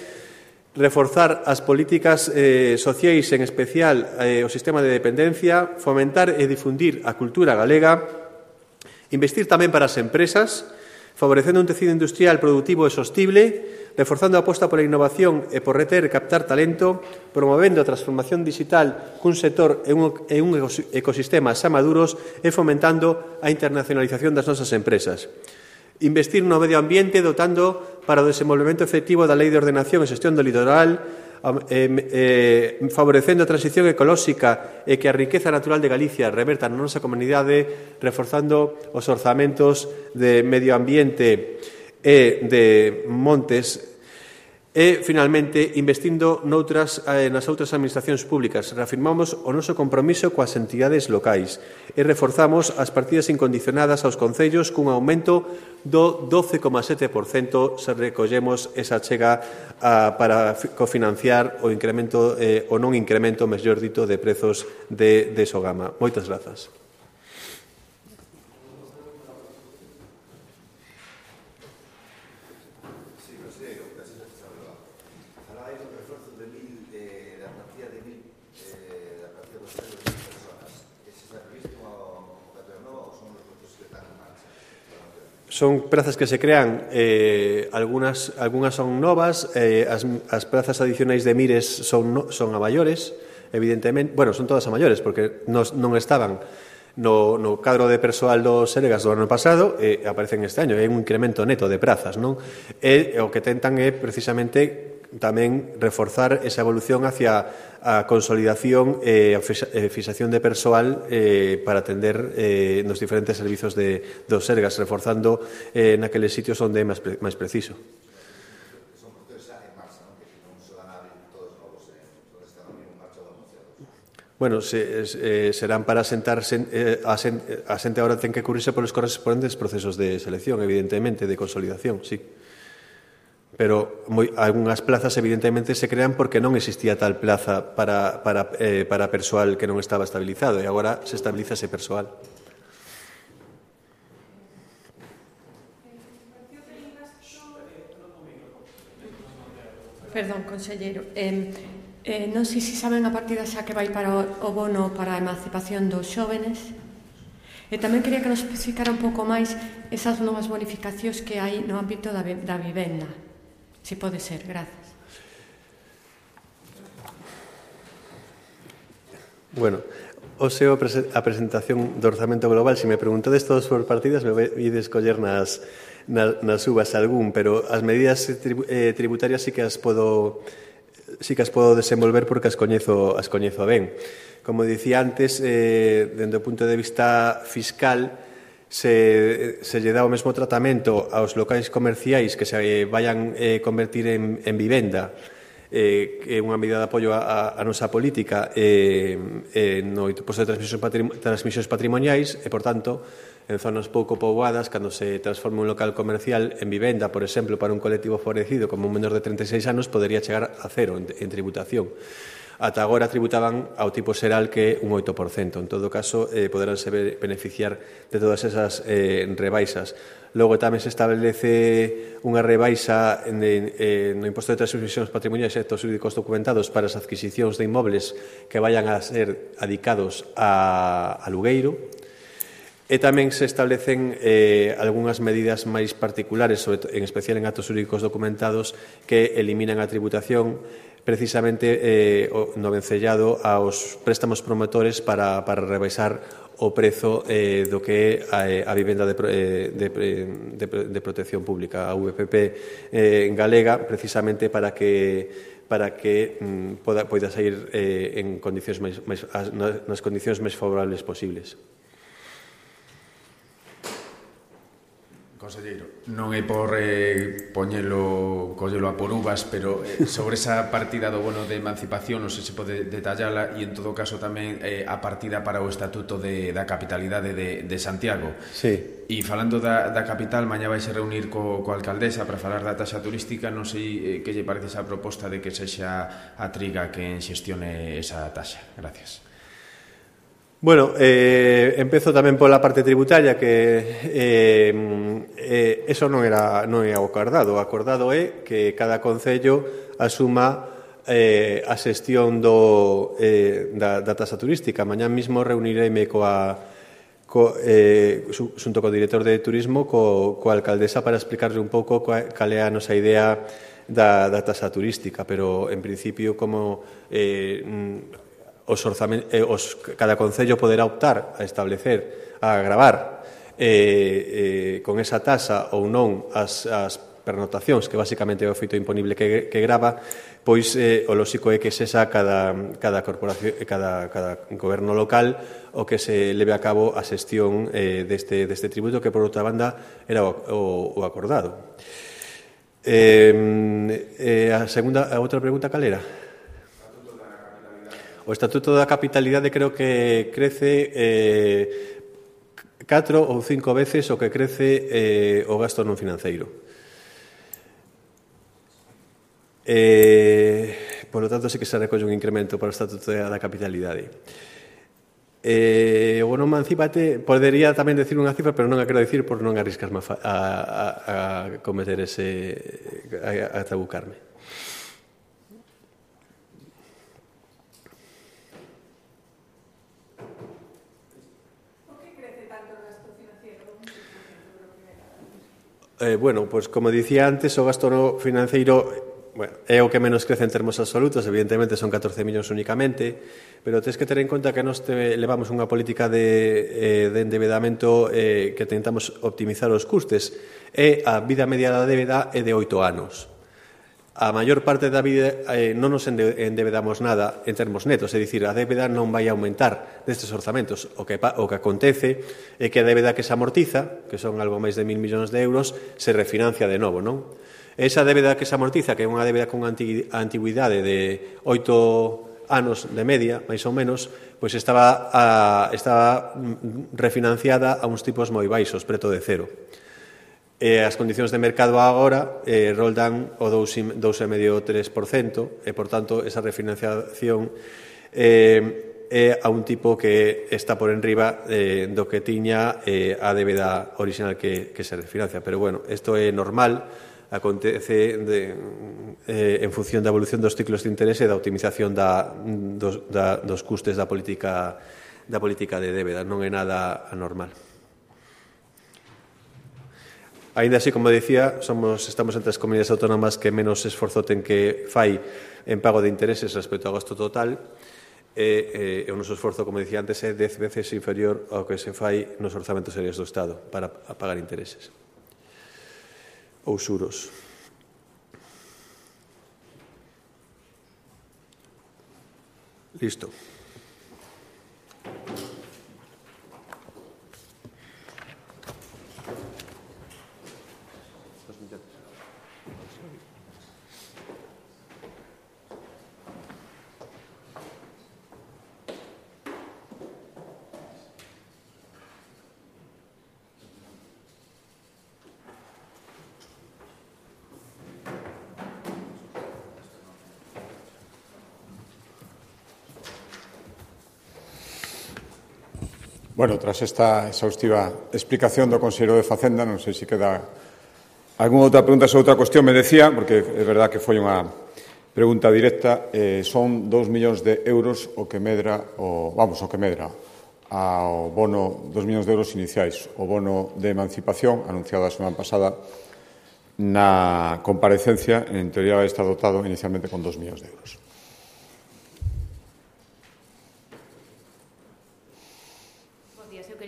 reforzar as políticas sociais, en especial o sistema de dependencia, fomentar e difundir a cultura galega, investir tamén para as empresas, favorecendo un tecido industrial productivo e sostible, reforzando a aposta pola innovación e por reter e captar talento, promovendo a transformación digital cun sector e un ecosistema xa maduros e fomentando a internacionalización das nosas empresas. Investir no medio ambiente dotando para o desenvolvemento efectivo da Lei de Ordenación e Xestión do Litoral, favorecendo a transición ecolóxica e que a riqueza natural de Galicia reverta na nosa comunidade, reforzando os orzamentos de medio ambiente e de montes e, finalmente, investindo nas outras administracións públicas. Reafirmamos o noso compromiso coas entidades locais e reforzamos as partidas incondicionadas aos concellos cun aumento do 12,7% se recollemos esa chega para cofinanciar o incremento o non incremento, mellor dito, de prezos de Sogama. Moitas grazas. Son prazas que se crean, algunhas son novas, as prazas adicionais de Mires son a maiores, evidentemente, bueno, son todas a maiores, porque non estaban no cadro de persoal do Sergas do ano pasado e aparecen este año, é un incremento neto de prazas, non? E o que tentan é precisamente tamén reforzar esa evolución hacia a consolidación e a fixación de persoal para atender nos diferentes servizos dos Sergas, reforzando naqueles sitios onde é máis preciso. Bueno, serán para asentarse, a xente agora ten que cubrirse polos correspondentes procesos de selección, evidentemente, de consolidación, sí. Pero algunhas plazas evidentemente se crean porque non existía tal plaza para persoal que non estaba estabilizado e agora se estabiliza ese persoal. Perdón, conselleiro. Non sei se saben a partida xa que vai para o bono para a emancipación dos xóvenes. E tamén quería que nos especificara un pouco máis esas novas bonificacións que hai no ámbito da vivenda. Si pode ser, grazas. Bueno, a presentación do orzamento global, se me preguntades todos por partidas, me vai escoller nas uvas algún, pero as medidas tributarias sí que as podo desenvolver porque as coñezo ben. Como dicía antes, dende o punto de vista fiscal, se lle dá o mesmo tratamento aos locais comerciais que se vayan convertir en vivenda, que é unha medida de apoio a nosa política no imposto de transmisións patrimoniais e, por tanto, en zonas pouco poboadas, cando se transforma un local comercial en vivenda, por exemplo, para un colectivo favorecido como un menor de 36 anos, podería chegar a cero en tributación. ata agora tributaban ao tipo xeral que é un 8%. En todo caso, poderánse beneficiar de todas esas rebaixas. Logo tamén se establece unha rebaixa no imposto de transmisións patrimoniais e actos xurídicos documentados para as adquisicións de inmobles que vayan a ser adicados a alugueiro. E tamén se establecen algunhas medidas máis particulares, en especial en actos xurídicos documentados, que eliminan a tributación precisamente no vencellado aos préstamos promotores para rebaixar o prezo do que é a vivenda de protección pública, a VPP galega, precisamente para que poida sair en condicións nas condicións máis favorables posibles. Conselleiro, non é por collelo a por uvas, pero sobre esa partida do bono de emancipación non sei se pode detallala e en todo caso tamén a partida para o Estatuto da Capitalidade de Santiago. Sí. E falando da capital, mañá vai se reunir coa alcaldesa para falar da taxa turística. Non sei que lle parece esa proposta de que sexa a Triga quen xestione esa taxa. Gracias. Bueno, empezo tamén pola parte tributaria, que eso non é o acordado. O acordado é que cada concello asuma a xestión da taxa turística. Mañá mesmo reunireime xunto co director de turismo coa alcaldesa para explicarle un pouco cal é a nosa idea da taxa turística, pero en principio como cada concello poderá optar a establecer, a gravar con esa taxa ou non as pernotacións, que basicamente é o feito imponible que grava, pois o lóxico é que sexa cada corporación, cada goberno local o que se leve a cabo a xestión deste tributo, que por outra banda era o acordado. A outra pregunta cal era? O Estatuto da Capitalidade creo que crece 4 ou 5 veces o que crece o gasto non financeiro. Por lo tanto, sí que se recolle un incremento para o Estatuto da Capitalidade. O bono emancipate, podería tamén decir unha cifra, pero non a quero dicir por non arriscarme a cometer a trabucarme. Bueno, pois como dicía antes, o gasto financeiro é o que menos crece en termos absolutos, evidentemente son 14 millóns únicamente, pero tens que ter en conta que nós levamos unha política de endebedamento que tentamos optimizar os custes, e a vida media da débeda é de 8 anos. A maior parte da vida non nos endebedamos nada en termos netos, é dicir, a débeda non vai aumentar destes orzamentos. O que acontece é que a débeda que se amortiza, que son algo máis de 1.000 millóns de euros, se refinancia de novo, non? Esa débeda que se amortiza, que é unha débeda con antigüidade de 8 anos de media, máis ou menos, pois estaba refinanciada a uns tipos moi baixos, preto de cero. As condicións de mercado agora roldan o 2,5-3%, e, por tanto, esa refinanciación é a un tipo que está por enriba do que tiña a débeda original que se refinancia. Pero, bueno, isto é normal, acontece en función da evolución dos ciclos de interese e da optimización dos custes da política de débeda. Non é nada anormal. Ainda así, como decía, estamos entre as comunidades autónomas que menos esforzo ten que fai en pago de intereses respecto ao gasto total, e o noso esforzo, como decía antes, é 10 veces inferior ao que se fai nos orzamentos serios do Estado para pagar intereses ou xuros. Listo. Bueno, tras esta exhaustiva explicación do Conselleiro de Facenda, non sei se queda algunha outra pregunta sobre outra cuestión. Me decía, porque é verdad que foi unha pregunta directa, son 2 millóns de euros o que medra ao bono 2 millóns de euros iniciais, o bono de emancipación anunciado a semana pasada na comparecencia. En teoría vai estar dotado inicialmente con 2 millóns de euros.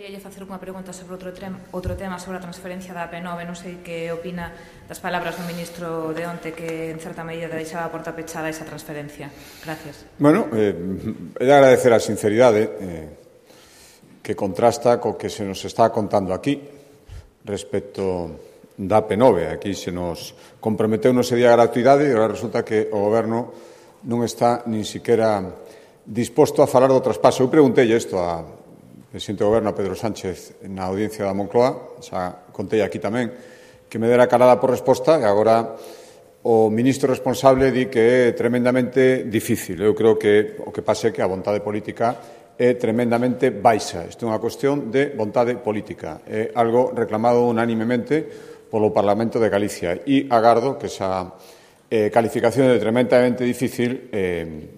Quería facer unha pregunta sobre outro tema sobre a transferencia da AP9. Non sei que opina das palabras do ministro de onte, que en certa medida deixaba a porta pechada esa transferencia. Gracias. Bueno, é de agradecer a sinceridade que contrasta co que se nos está contando aquí respecto da AP9. Aquí se nos comprometeu no ese día a gratuidade e agora resulta que o Goberno non está nin siquiera disposto a falar do traspaso. Eu preguntei isto a presidente do Goberno, Pedro Sánchez, na audiencia da Moncloa, xa contei aquí tamén, que me dera calada por resposta, e agora o ministro responsable di que é tremendamente difícil. Eu creo que o que pasa é que a vontade política é tremendamente baixa. Isto é unha cuestión de vontade política. É algo reclamado unánimemente polo Parlamento de Galicia e agardo que esa calificación de tremendamente difícil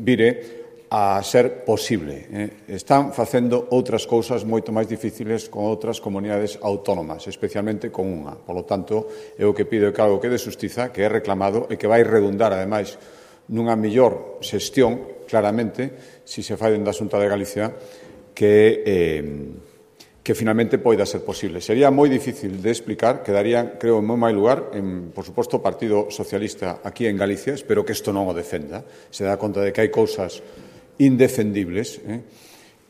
vire a ser posible. Están facendo outras cousas moito máis difíciles con outras comunidades autónomas, especialmente con unha. Por lo tanto, é o que pido que algo que de xustiza, que é reclamado e que vai redundar, ademais, nunha mellor xestión, claramente, se se fai dende a Xunta de Galicia, que finalmente poida ser posible. Sería moi difícil de explicar, quedaría, creo, en moi máis lugar, por suposto, o Partido Socialista aquí en Galicia. Espero que isto non o defenda. Se dá conta de que hai cousas indefendibles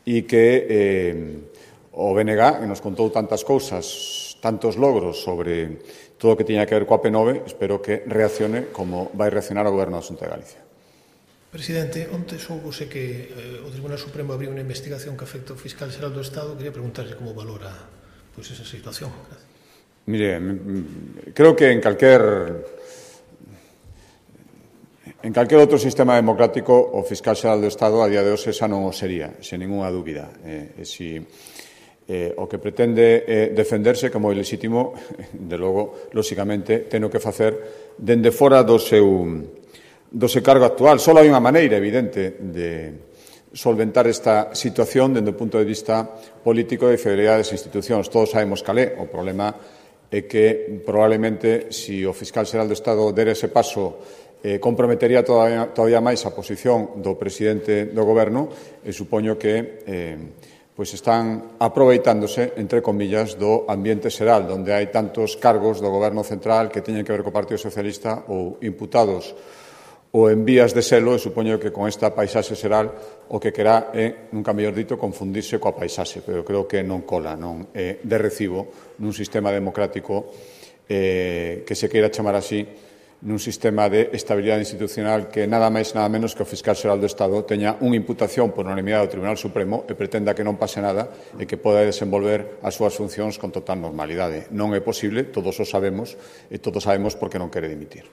e que o BNG, que nos contou tantas cousas, tantos logros sobre todo o que tiña que ver coa AP9, espero que reaccione como vai reaccionar o Goberno da Xunta de Galicia. Presidente, onte soubose que o Tribunal Supremo abriu unha investigación que afecta ao fiscal xeral do Estado. Quería preguntarle como valora esa situación. Gracias. Mire, creo que en calquer outro sistema democrático o fiscal xeral do Estado a día de hoxe xa non o sería, sen ninguna dúbida. O que pretende defenderse como ilexítimo, de logo, lóxicamente, teno que facer dende fora do seu cargo actual. Só hai unha maneira evidente de solventar esta situación dende o punto de vista político de fidelidade das institucións. Todos sabemos cal é. O problema é que probablemente, se o fiscal xeral do Estado der ese paso, comprometería todavía máis a posición do presidente do Goberno, e supoño que están aproveitándose, entre comillas, do ambiente xeral, onde hai tantos cargos do Goberno central que teñen que ver co Partido Socialista ou imputados ou en vías de selo, e supoño que con esta paisaxe xeral o que querá é, nunca mellor dito, confundirse coa paisaxe, pero creo que non cola, non é de recibo nun sistema democrático que se queira chamar así, nun sistema de estabilidade institucional, que nada máis nada menos que o fiscal xeral do Estado teña unha imputación por unanimidade do Tribunal Supremo e pretenda que non pase nada e que poda desenvolver as súas funcións con total normalidade. Non é posible, todos o sabemos, e todos sabemos por que non quere dimitir.